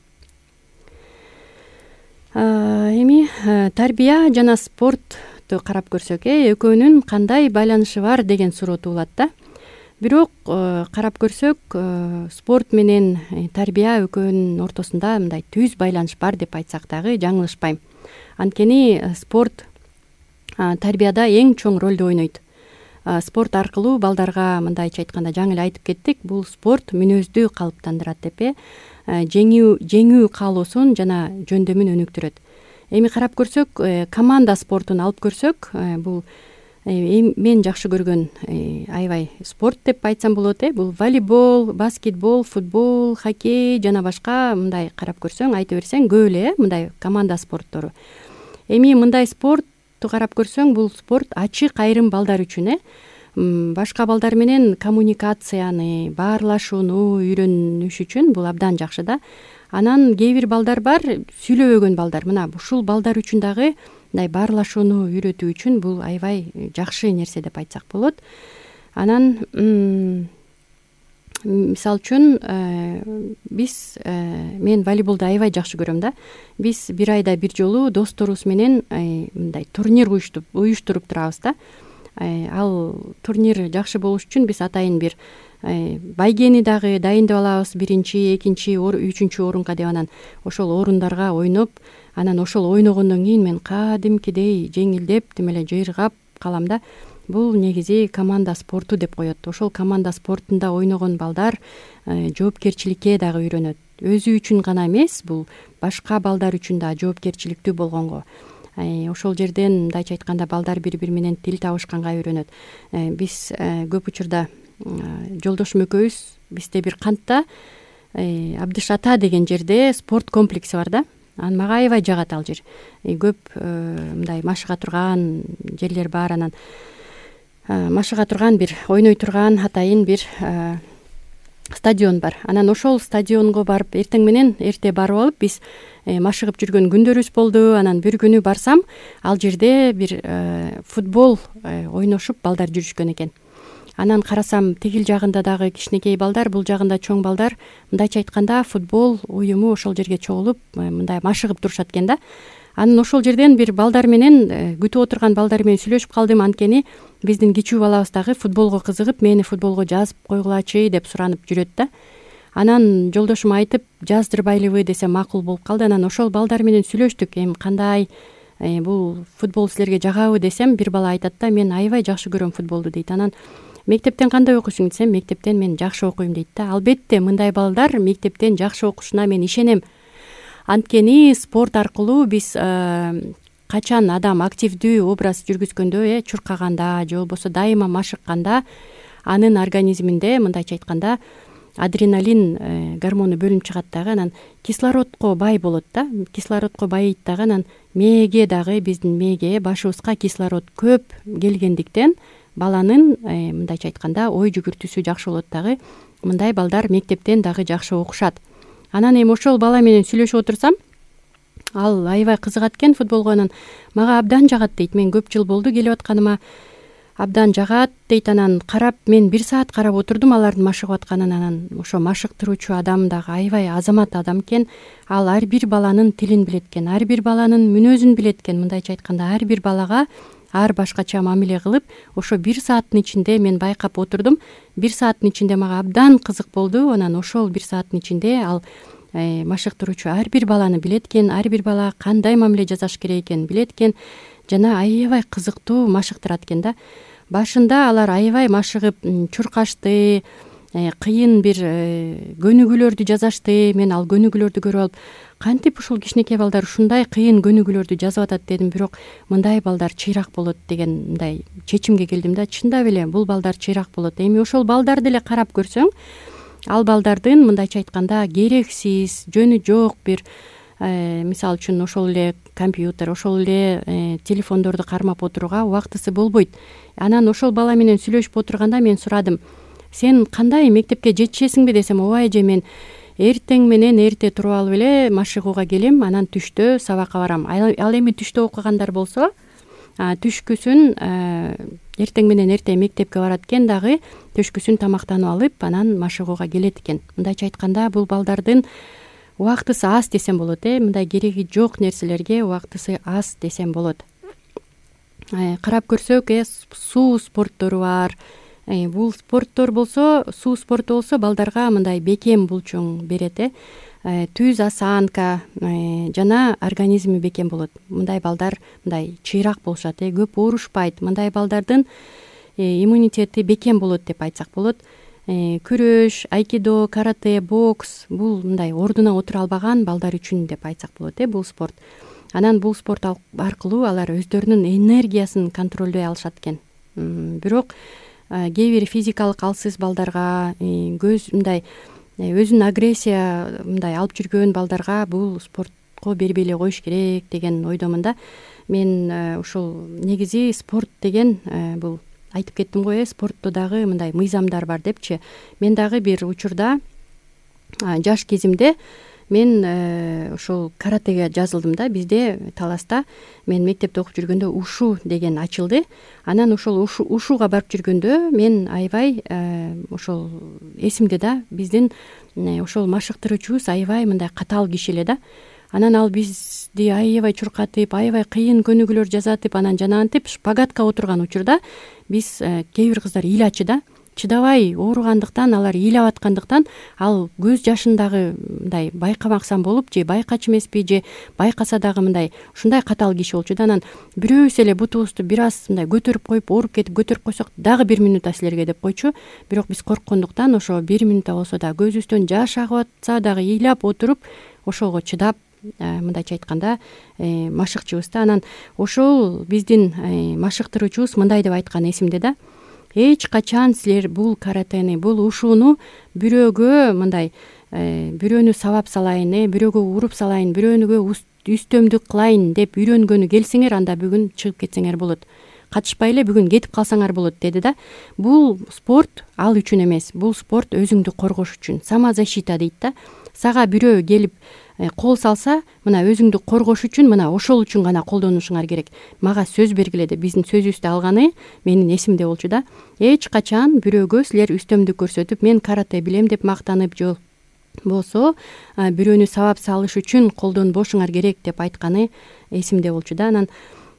Эми тарбия жана спортту карап көрсөк, экөөнүн кандай байланышы бар деген суроо туулат да. Бирок карап көрсөк, спорт менен тарбия экөөнүн ортосунда мындай түз байланыш бар деп айтсак дагы жаңылышпайм. Анткени спорт тарбияда эң чоң ролду ойнойт. Спорт аркылуу балдарга, мындайча айтканда, жаңы эле айтып кеттик, бул спорт мүнөздү калыптандырат деп э, жеңүү жеңүү каалоосун жана жөндөмүн өнүктүрөт. Эми карап көрсөк, команда спортун алып көрсөк, бул мен жакшы көргөн аябай спорт деп айтсам болот э. Бул волейбол, баскетбол, футбол, хоккей жана башка мындай карап көрсөң, айта берсең көп эле мындай команда спорттору. Эми мындай спортту карап көрсөң, бул спорт ачык айрым балдар үчүн э. Башка балдар менен коммуникацияны, баарлашууну үйрөнүш үчүн бул абдан жакшы да. Анан кээ бир балдар бар, сүйлөбөгөн балдар. Мына ушул балдар үчүн дагы мындай баарлашууну үйрөтүү үчүн бул аябай жакшы нерсе деп айтсак болот. Анан мисалы үчүн биз мен волейболду аябай жакшы көрөм да. Биз бир айда бир жолу досторубуз менен мындай турнир уюштуруп турабыз да. Ал турнир жакшы болуш үчүн биз атайын бир байгени дагы дайындап алабыз, биринчи, экинчи, үчүнчү орунга деп. Анан ошол орундарга ойноп, анан ошол ойногондон кийин мен кадимкидей жеңилдеп, тим эле жыйыргап калам да. Бул негизи команда спорту деп коет. Ошол команда спортунда ойногон балдар жоопкерчиликке дагы үйрөнөт. Өзү үчүн гана эмес, бул башка балдар үчүн да жоопкерчиликтүү болгонго. Ошол жерден мындайча айтканда балдар бири-бири менен тил табышканга үйрөнөт. Биз көп учурда жолдошум экөөбүз, бизде бир кантта Абдыш ата деген жерде спорт комплекси бар да. Анан мага аябай жагат ал жер. Көп мындай машыга турган жерлер бар. Анан машыга турган бир ойной турган атайын бир стадион бар. Анан ошол стадионго барып, эртең менен эрте барып алып, биз машыгып жүргөн күндөрүбүз болду. Анан бир күнү барсам, ал жерде бир футбол ойношуп балдар жүрүшкөн экен. Анан карасам, тигил жагында дагы кичинекей балдар, бул жагында чоң балдар, мындайча айтканда футбол уюму ошол жерге чогулуп, мындай машыгып турушат экен да. Анан ошол жерден бир балдар менен, күтүп отурган балдар менен сүйлөшүп калдым. Анткени биздин кичүү балабыз дагы футболго кызыгып, мени футболго жазып койгулачы деп суранып жүрөт да. Анан жолдошум айтып, жаздырбайлыбы десе макул болуп калды. Анан ошол балдар менен сүйлөштүк. Эми кандай бул футбол силерге жагабы десем, бир бала айтат да, мен аябай жакшы көрөм футболду дейт. Анан мектептен кандай окуйсуң десем, мектептен мен жакшы окуйм дейт да. Албетте мындай балдар мектептен жакшы окушуна мен ишенем. Анткени спорт аркылуу биз качан адам активдүү образ жүргүзгөндө, э чуркаганда же болбосо дайыма машыкканда, анын организминде мындайча айтканда адреналин гормону бөлүнүп чыгат дагы. Анан кислородко бай болот да. Кислородко байыйт дагы. Анан мээге дагы, биздин мээге, башыбызга кислород көп келгендиктен баланын мындайча айтканда ой жүгүртүүсү жакшы болот дагы. Мындай балдар мектептен дагы жакшы окушат. Анан эми ошол бала менен сүйлөшүп отурсам, ал аябай кызыгат экен футболго. Анан мага абдан жагат дейт. Мен көп жыл болду келип атканыма, абдан жагат дейт. Анан карап, мен бир саат карап отурдум алардын машыгып атканын. Анан ошо машыктыруучу адам дагы аябай азамат адам экен. Ал ар бир баланын тилин билет экен, ар бир баланын мүнөзүн билет экен. Мындайча айтканда, ар бир балага ар башкача мамиле кылып, ошо бир сааттын ичинде мен байкап отурдум. Бир сааттын ичинде мага абдан кызык болду. Анан ошол бир сааттын ичинде ал машыктыруучу ар бир баланы билет экен, ар бир бала кандай мамиле жасаш керек экенин билет экен жана аябай кызыктуу машыктырат экен да. Башында алар аябай машыгып чуркашты, кыйын бир көнүгүүлөрдү жазашты. Мен ал көнүгүүлөрдү көрүп алып, кантип ушул кичинекей балдар ушундай кыйын көнүгүүлөрдү жазып атат дедим. Бирок мындай балдар чыйрак болот деген мындай чечимге келдим да. Чындап эле бул балдар чыйрак болот. Эми ошол балдарды эле карап көрсөң, ал балдардын мындайча айтканда керексиз, жөнү жок бир мисалы үчүн ошол эле компьютер, ошол эле телефондорду кармап отурууга убактысы болбойт. Анан ошол бала менен сүйлөшүп отурганда мен сурадым: сен кандай мектепке жетишесиңби десем, ооба эже, мен эртең менен эрте туруп алып эле машыгууга келем, анан түштө сабакка барам. Ал эми түштө окугандар болсо түшкүсүн эртең менен эрте мектепке барат экен, дагы түшкүсүн тамактанып алып анан машыгууга келет экен. Мындайча айтканда бул балдардын убактысы аз десем болот, э мындай кереги жок нерселерге убактысы аз десем болот. Карап көрсөк, э суу спорттору бар. Бул спорттор болсо, суу спорту болсо балдарга мындай бекем булчуң берет, э түз осанка жана организми бекем болот. Мындай балдар мындай чыйрак болушат, э көп оорушпайт. Мындай балдардын иммунитети бекем болот деп айтсак болот. Күрөш, айкидо, карате, бокс бул мындай ордуна отура албаган балдар үчүн деп айтсак болот, э бул спорт. Анан бул спорт аркылуу алар өздөрүнүн энергиясын контролдой алышат экен. Бирок кээ бир физикалык алсыз балдарга, көз мындай өзүн агрессия мындай алып жүргөн балдарга бул спортко бербей эле коюш керек деген ойдомун да. Мен ушул негизи спорт деген бул айтып кеттим го, э спортто дагы мындай мыйзамдар бар депчи. Мен дагы бир учурда жаш кезимде мен ошол каратеге жазылдым да. Бизде Таласта мен мектепте окуп жүргөндө ушу деген ачылды. Анан ошол ушуга барып жүргөндө мен аябай ошол эсимде да. Биздин ошол машыктыруучубуз аябай мындай катаал киши эле да. Анан ал бизди аябай чуркатып, аябай кыйын көнүгүүлөр жасатып, анан жанагынтип шпагатка отурган учурда биз кээ бир кыздар ыйлачы да. Чыдабай ооругандыктан, алар ыйлап аткандыктан ал көз жашын дагы мындай байкамаксан болуп, же байкачу эмеспи, же байкаса дагы мындай ушундай катаал киши болчу да. Анан бирөөбүз эле бутубузду бир аз мындай көтөрүп коюп, ооруп кетип көтөрүп койсок, дагы бир минутта силерге деп койчу. Бирок биз корккондуктан ошо бир минутта болсо да көзүбүздөн жаш агып атса дагы ыйлап отуруп, ошого чыдап мындайча айтканда машыкчыбыз да. Анан ошол биздин машыктыруучубуз мындай деп айткан эсимде да: эч качан силер бул каратени, бул ушууну бирөөгө мындай бирөөнү сабап салайын, э бирөөгө уруп салайын, бирөөнүгө үстөмдүк кылайын деп үйрөнгөнү келсеңер, анда бүгүн чыгып кетсеңер болот. Катышпай эле бүгүн кетип калсаңар болот деди да. Бул спорт ал үчүн эмес, бул спорт өзүңдү коргош үчүн. Самозащита дейт да. Сага бирөө келип кол салса, мына өзүңдү коргош үчүн, мына ошол үчүн гана колдонушуңар керек. Мага сөз бергиле деп биздин сөзүбүздү алганы менин эсимде болчу да. Эч качан бирөөгө силер үстөмдүк көрсөтүп, мен карате билем деп мактанып, же болсо бирөөнү сабап салыш үчүн колдонбошуңар керек деп айтканы эсимде болчу да. Анан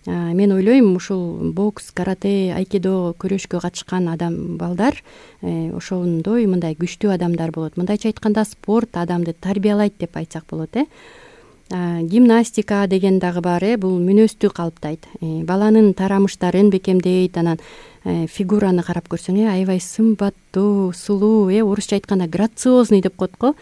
мен ойлойм, ушул бокс, карате, айкидо көрөшкө катышкан адам балдар ошондой мындай күчтүү адамдар болот. Мындайча айтканда спорт адамды тарбиялайт деп айтсак болот, э. Гимнастика деген дагы бар, э. Бул мүнөздү калыптайт. Баланын тарамыштарын бекемдейт. Анан фигураны карап көрсөң, э аябай сымбаттуу, сулуу, э орусча айтканда грациозный деп коет го.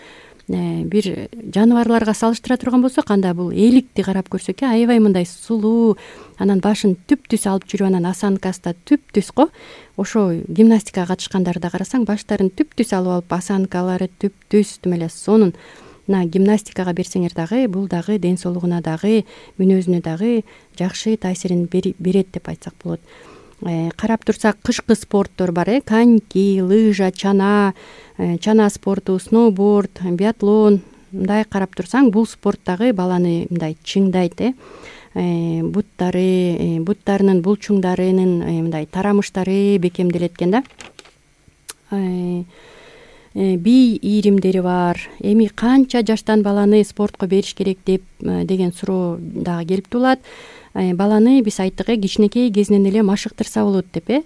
Бир жаныбарларга салыштыра турган болсок, анда бул эликти карап көрсөк, аябай мындай сулуу, анан башын түп-түз алып жүрүп, анан осанкасы да түп-түз го. Ошо гимнастикага катышкандарды карасаң, баштарын түп-түз алып алып, осанкалары түп-түз тим эле сонун. Мына гимнастикага берсеңер дагы, бул дагы ден соолугуна дагы, мүнөзүнө дагы жакшы таасирин берет деп айтсак болот. Карап турсак, кышкы спорттор бар, э коньки, лыжа, чана, чана спорту, сноуборд, биатлон. Мындай карап турсаң, бул спорт дагы баланы мындай чыңдайт, э буттары, буттарынын булчуңдарынын мындай тарамыштары бекемделет экен да. бий ийримдери бар. Эми канча жаштан баланы спортко бериш керек деп деген суроо дагы келип туулат. Баланы биз айттык э кичинекей кезинен эле машыктырса болот деп э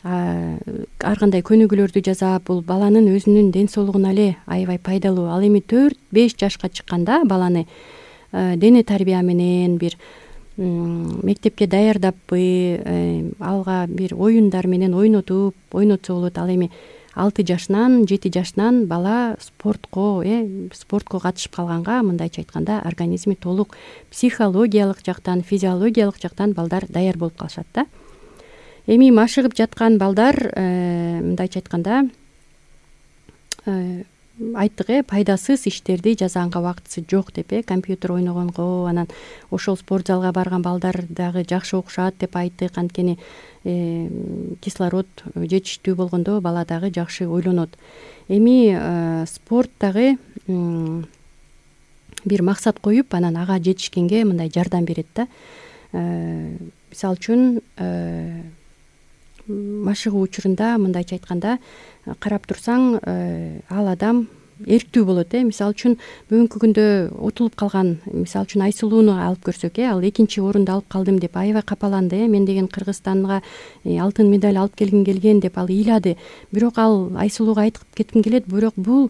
ар кандай көнүгүүлөрдү жасап, бул баланын өзүнүн ден соолугуна эле аябай пайдалуу. Ал эми төрт беш жашка чыкканда баланы дене тарбия менен бир мектепке даярдаппы, алга бир оюндар менен ойнотуп ойнотсо болот. Ал эми алты жашынан жети жашынан бала спортко э спортко катышып калганга, мындайча айтканда, организми толук психологиялык жактан, физиологиялык жактан балдар даяр болуп калышат да. Эми машыгып жаткан балдар мындайча айтканда айттык э пайдасыз иштерди жасаганга убактысы жок деп э компьютер ойногонго, анан ошол спорт залга барган балдар дагы жакшы окушат деп айттык. Анткени кислород жетиштүү болгондо бала дагы жакшы ойлонот. Эми спорт дагы бир максат коюп, анан ага жетишкенге мындай жардам берет да. Мисалы үчүн машыгуу учурунда мындайча айтканда карап турсаң, ал адам эрктүү болот э мисалы үчүн бүгүнкү күндө утулуп калган, мисалы үчүн Айсулууну алып көрсөк э ал экинчи орунду алып калдым деп аябай капаланды э мен деген Кыргызстанга алтын медаль алып келгим келген деп ал ыйлады. Бирок ал Айсулууга айтып кетким келет, бирок бул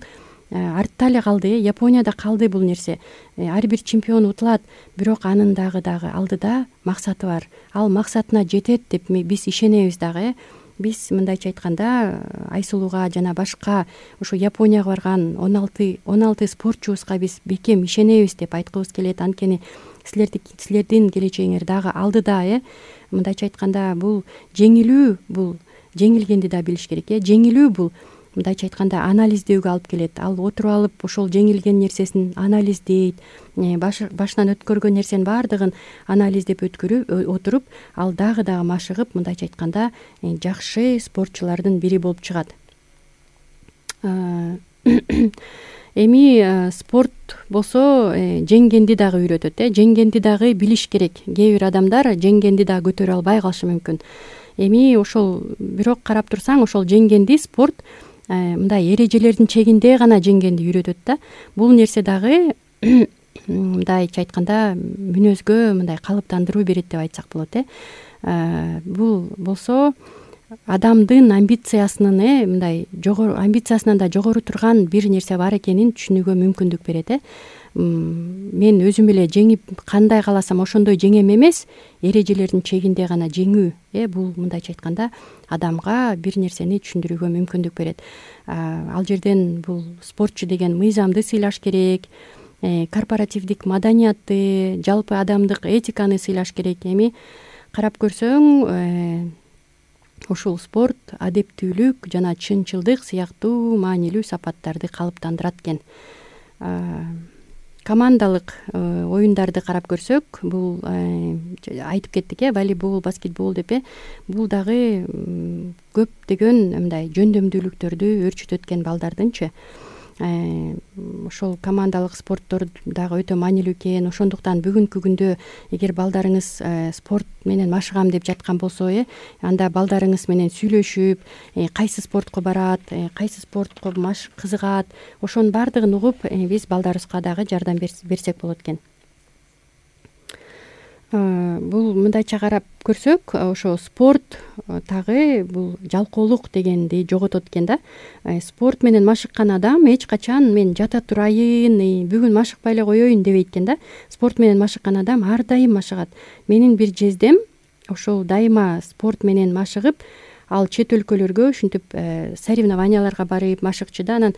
артта эле калды э Японияда калды бул нерсе. Ар бир чемпион утулат, бирок анын дагы дагы алдыда максаты бар. Ал максатына жетет деп биз ишенебиз дагы э. Биз мындайча айтканда Айсулууга жана башка ушу Японияга барган он алты он алты спортчубузга биз бекем ишенебиз деп айткыбыз келет. Анткени силерди силердин келечегиңер дагы алдыда э. Мындайча айтканда бул жеңилүү, бул жеңилгенди да билиш керек э. Жеңилүү бул мындайча айтканда анализдөөгө алып келет. Ал отуруп алып ошол жеңилген нерсесин анализдейт, башынан өткөргөн нерсенин баардыгын анализдеп өткөрүп отуруп, ал дагы дагы машыгып, мындайча айтканда жакшы спортчулардын бири болуп чыгат. Эми спорт болсо жеңгенди дагы үйрөтөт э. Жеңгенди дагы билиш керек. Кээ бир адамдар жеңгенди дагы көтөрө албай калышы мүмкүн. Эми ошол бирок карап турсаң, ошол жеңгенди спорт мындай эрежелердин чегинде гана жеңгенди үйрөтөт да. Бул нерсе дагы мындайча айтканда мүнөзгө мындай калыптандыруу берет деп айтсак болот э. Бул болсо адамдын амбициясынын э мындай жогору амбициясынан да жогору турган бир нерсе бар экенин түшүнүүгө мүмкүндүк берет э. Мен өзүм эле жеңип кандай кааласам ошондой жеңем эмес, эрежелердин чегинде гана жеңүү э бул мындайча айтканда адамга бир нерсени түшүндүрүүгө мүмкүндүк берет. Ал жерден бул спортчу деген мыйзамды сыйлаш керек, корпоративдик маданиятты, жалпы адамдык этиканы сыйлаш керек. Эми карап көрсөң, ушул спорт адептүүлүк жана чынчылдык сыяктуу маанилүү сапаттарды калыптандырат экен. Командалык оюндарды карап көрсөк, бул айтып кеттик э волейбол, баскетбол деп э бул дагы көптөгөн мындай жөндөмдүүлүктөрдү өөрчүтөт экен балдардынчы. Ошол командалык спорттор дагы өтө маанилүү экен. Ошондуктан бүгүнкү күндө эгер балдарыңыз спорт менен машыгам деп жаткан болсо э анда балдарыңыз менен сүйлөшүп, кайсы спортко барат, кайсы спортко машык кызыгат, ошонун баардыгын угуп, биз балдарыбызга дагы жардам берсек болот экен. Бул мындайча карап көрсөк, ошо спорт дагы бул жалкоолук дегенди жоготот экен да. Спорт менен машыккан адам эч качан мен жата турайын, бүгүн машыкпай эле коеюн дебейт экен да. Спорт менен машыккан адам ар дайым машыгат. Менин бир жездем ошол дайыма спорт менен машыгып, ал чет өлкөлөргө ушинтип соревнованияларга барып машыкчы да. Анан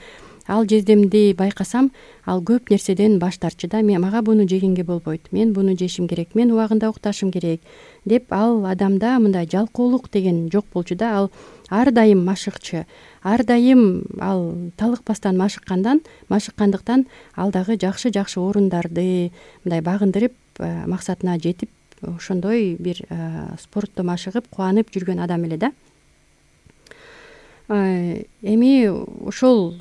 ал жездемди байкасам, ал көп нерседен баш тартчу да. Мен мага буну жегенге болбойт, мен буну жешим керек, мен убагында укташым керек деп ал адамда мындай жалкоолук деген жок болчу да. Ал ар дайым машыкчы, ар дайым ал талыкпастан машыккандан машыккандыктан ал дагы жакшы жакшы орундарды мындай багындырып, максатына жетип, ошондой бир спортто машыгып кубанып жүргөн адам эле да. Эми ошол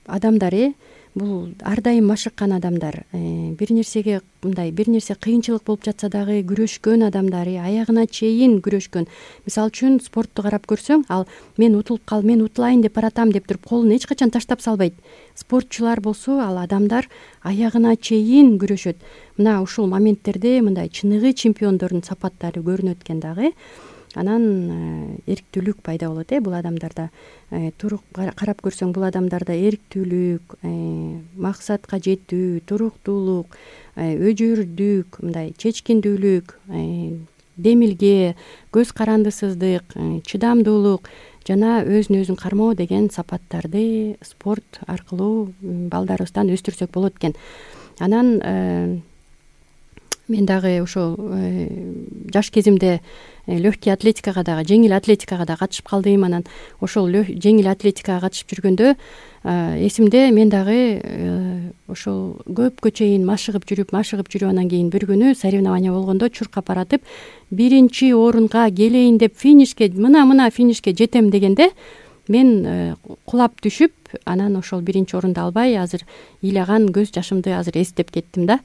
адамдар э бул ар дайым машыккан адамдар, бир нерсеге мындай бир нерсе кыйынчылык болуп жатса дагы күрөшкөн адамдар, аягына чейин күрөшкөн. Мисалы үчүн спортту карап көрсөң, ал мен утулуп кал, мен утулайын деп баратам деп туруп колун эч качан таштап салбайт. Спортчулар болсо, ал адамдар аягына чейин күрөшөт. Мына ушул моменттерде мындай чыныгы чемпиондордун сапаттары көрүнөт экен дагы. Анан эрктүүлүк пайда болот э бул адамдарда. Турук карап көрсөң, бул адамдарда эрктүүлүк, максатка жетүү, туруктуулук, өжөрдүк, мындай чечкиндүүлүк, демилге, көз карандысыздык, чыдамдуулук жана өзүн өзүн кармоо деген сапаттарды спорт аркылуу балдарыбыздан өстүрсөк болот экен. Анан мен дагы ошол жаш кезимде легкий атлетикага дагы, жеңил атлетикага да катышып калдым. Анан ошол жеңил атлетикага катышып жүргөндө эсимде, мен дагы ошол көпкө чейин машыгып жүрүп, машыгып жүрүп анан кийин бир күнү соревнование болгондо чуркап баратып, биринчи орунга келейин деп финишке, мына-мына финишке жетем дегенде мен кулап түшүп, анан ошол биринчи орунду албай, азыр ыйлаган көз жашымды азыр эстеп кеттим да.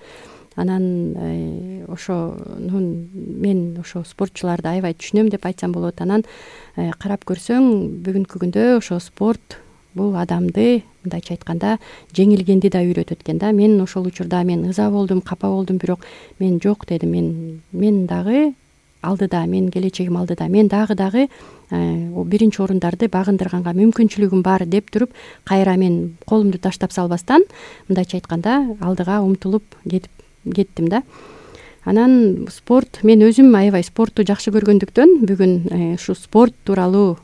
Анан ошонун мен ошо спортчуларды аябай түшүнөм деп айтсам болот. Анан карап көрсөң, бүгүнкү күндө ошо спорт бул адамды, мындайча айтканда, жеңилгенди да үйрөтөт экен да. Мен ошол учурда мен ыза болдум, капа болдум, бирок мен жок дедим. Мен мен дагы алдыда, мен келечегим алдыда. Мен дагы дагы биринчи орундарды багындырганга мүмкүнчүлүгүм бар деп туруп, кайра мен колумду таштап салбастан, мындайча айтканда, алдыга умтулуп кетип кеттим да. Анан спорт, мен өзүм аябай спортту жакшы көргөндүктөн бүгүн ушу спорт тууралуу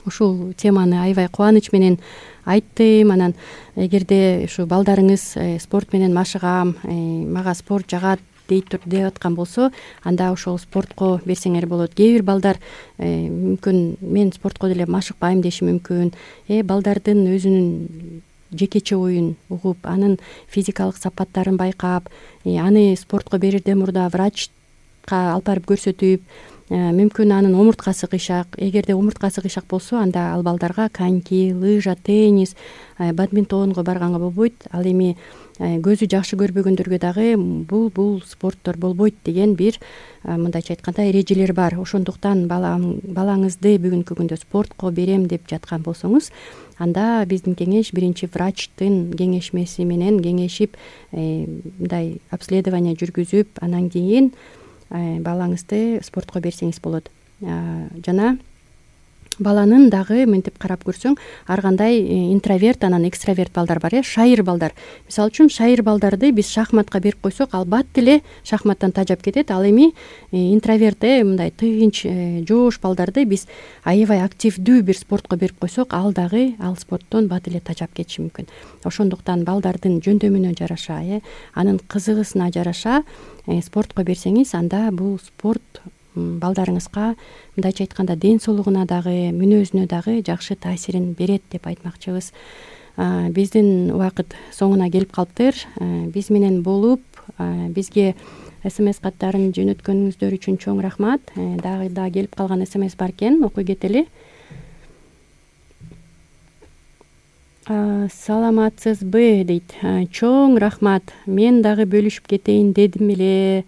ушул теманы аябай кубаныч менен айттым. Анан эгерде ушу балдарыңыз спорт менен машыгам, мага спорт жагат дейт деп аткан болсо, анда ошол спортко берсеңер болот. Кээ бир балдар мүмкүн мен спортко деле машыкпайм деши мүмкүн. Э балдардын өзүнүн жекече оюн угуп, анын физикалык сапаттарын байкап, аны спортко берерден мурда врачка алып барып көрсөтүп, мүмкүн анын омурткасы кыйшак. Эгерде омурткасы кыйшак болсо, анда ал балдарга коньки, лыжа, теннис, бадминтонго барганга болбойт. Ал эми көзү жакшы көрбөгөндөргө дагы бул бул спорттор болбойт деген бир, мындайча айтканда, эрежелер бар. Ошондуктан балаңызды бүгүнкү күндө спортко берем деп жаткан болсоңуз, анда биздин кеңеш биринчи врачтын кеңешмеси менен кеңешип, мындай обследование жүргүзүп, анан кийин балаңызды спортко берсеңиз болот. Жана баланын дагы мынтип карап көрсөң, ар кандай интроверт, анан экстраверт балдар бар, э, шайыр балдар. Мисалы үчүн, шайыр балдарды биз шахматка берип койсок, ал бат эле шахматтан тажап кетет. Ал эми интроверт, э, мындай тынч, жоош балдарды биз аябай активдүү бир спортко берип койсок, ал дагы ал спорттон бат эле тажап кетиши мүмкүн. Ошондуктан балдардын жөндөмүнө жараша, э, анын кызыгысына жараша спортко берсеңиз, анда бул спорт балдарыңызга, мындайча айтканда, ден соолугуна дагы, мүнөзүнө дагы жакшы таасирин берет деп айтмакчыбыз. Биздин убакыт соңуна келип калыптыр. Биз менен болуп, бизге смс каттарын жөнөткөнүңүздөр үчүн чоң рахмат. Дагы да келип калган смс бар экен, окуй кетели. Саламатсызбы дейт. Чоң рахмат. Мен дагы бөлүшүп кетейин дедим эле.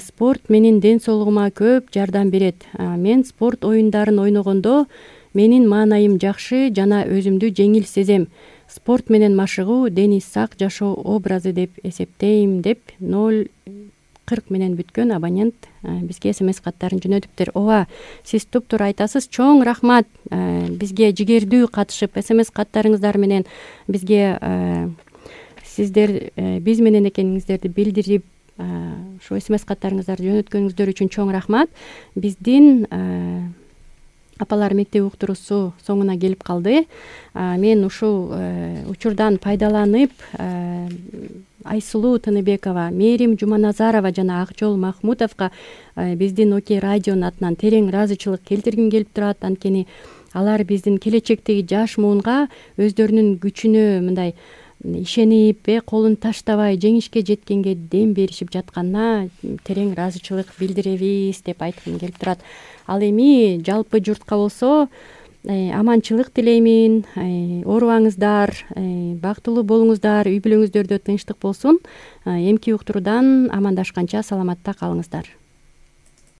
Спорт менин ден соолугума көп жардам берет. Мен спорт оюндарын ойногондо менин маанайым жакшы жана өзүмдү жеңил сезем. Спорт менен машыгуу дени сак жашоо образы деп эсептейм деп ноль кырк менен бүткөн абонент бизге смс каттарын жөнөтүптүр. Ооба, сиз туптуура айтасыз. Чоң рахмат бизге жигердүү катышып смс каттарыңыздар менен бизге сиздер биз менен экениңиздерди билдирип, ушу смс каттарыңыздарды жөнөткөнүңүздөр үчүн чоң рахмат. Биздин апалар мектеби уктуруусу соңуна келип калды. Мен ушул учурдан пайдаланып Айсулуу Тыныбекова, Мерим Жуманазарова жана Акжол Махмутовго биздин Окей радионун атынан терең ыраазычылык келтиргим келип турат. Анткени алар биздин келечектеги жаш муунга өздөрүнүн күчүнө мындай ишенип, колун таштабай жеңишке жеткенге дем беришип жатканына терең ыраазычылык билдиребиз деп айткым келип турат. Ал эми жалпы журтка болсо, аманчылык тилеймин, оорубаңыздар, бактылуу болуңуздар, үй бүлөңүздөрдө тынчтык болсун. Эмки уктуруудан амандашканча саламатта калыңыздар.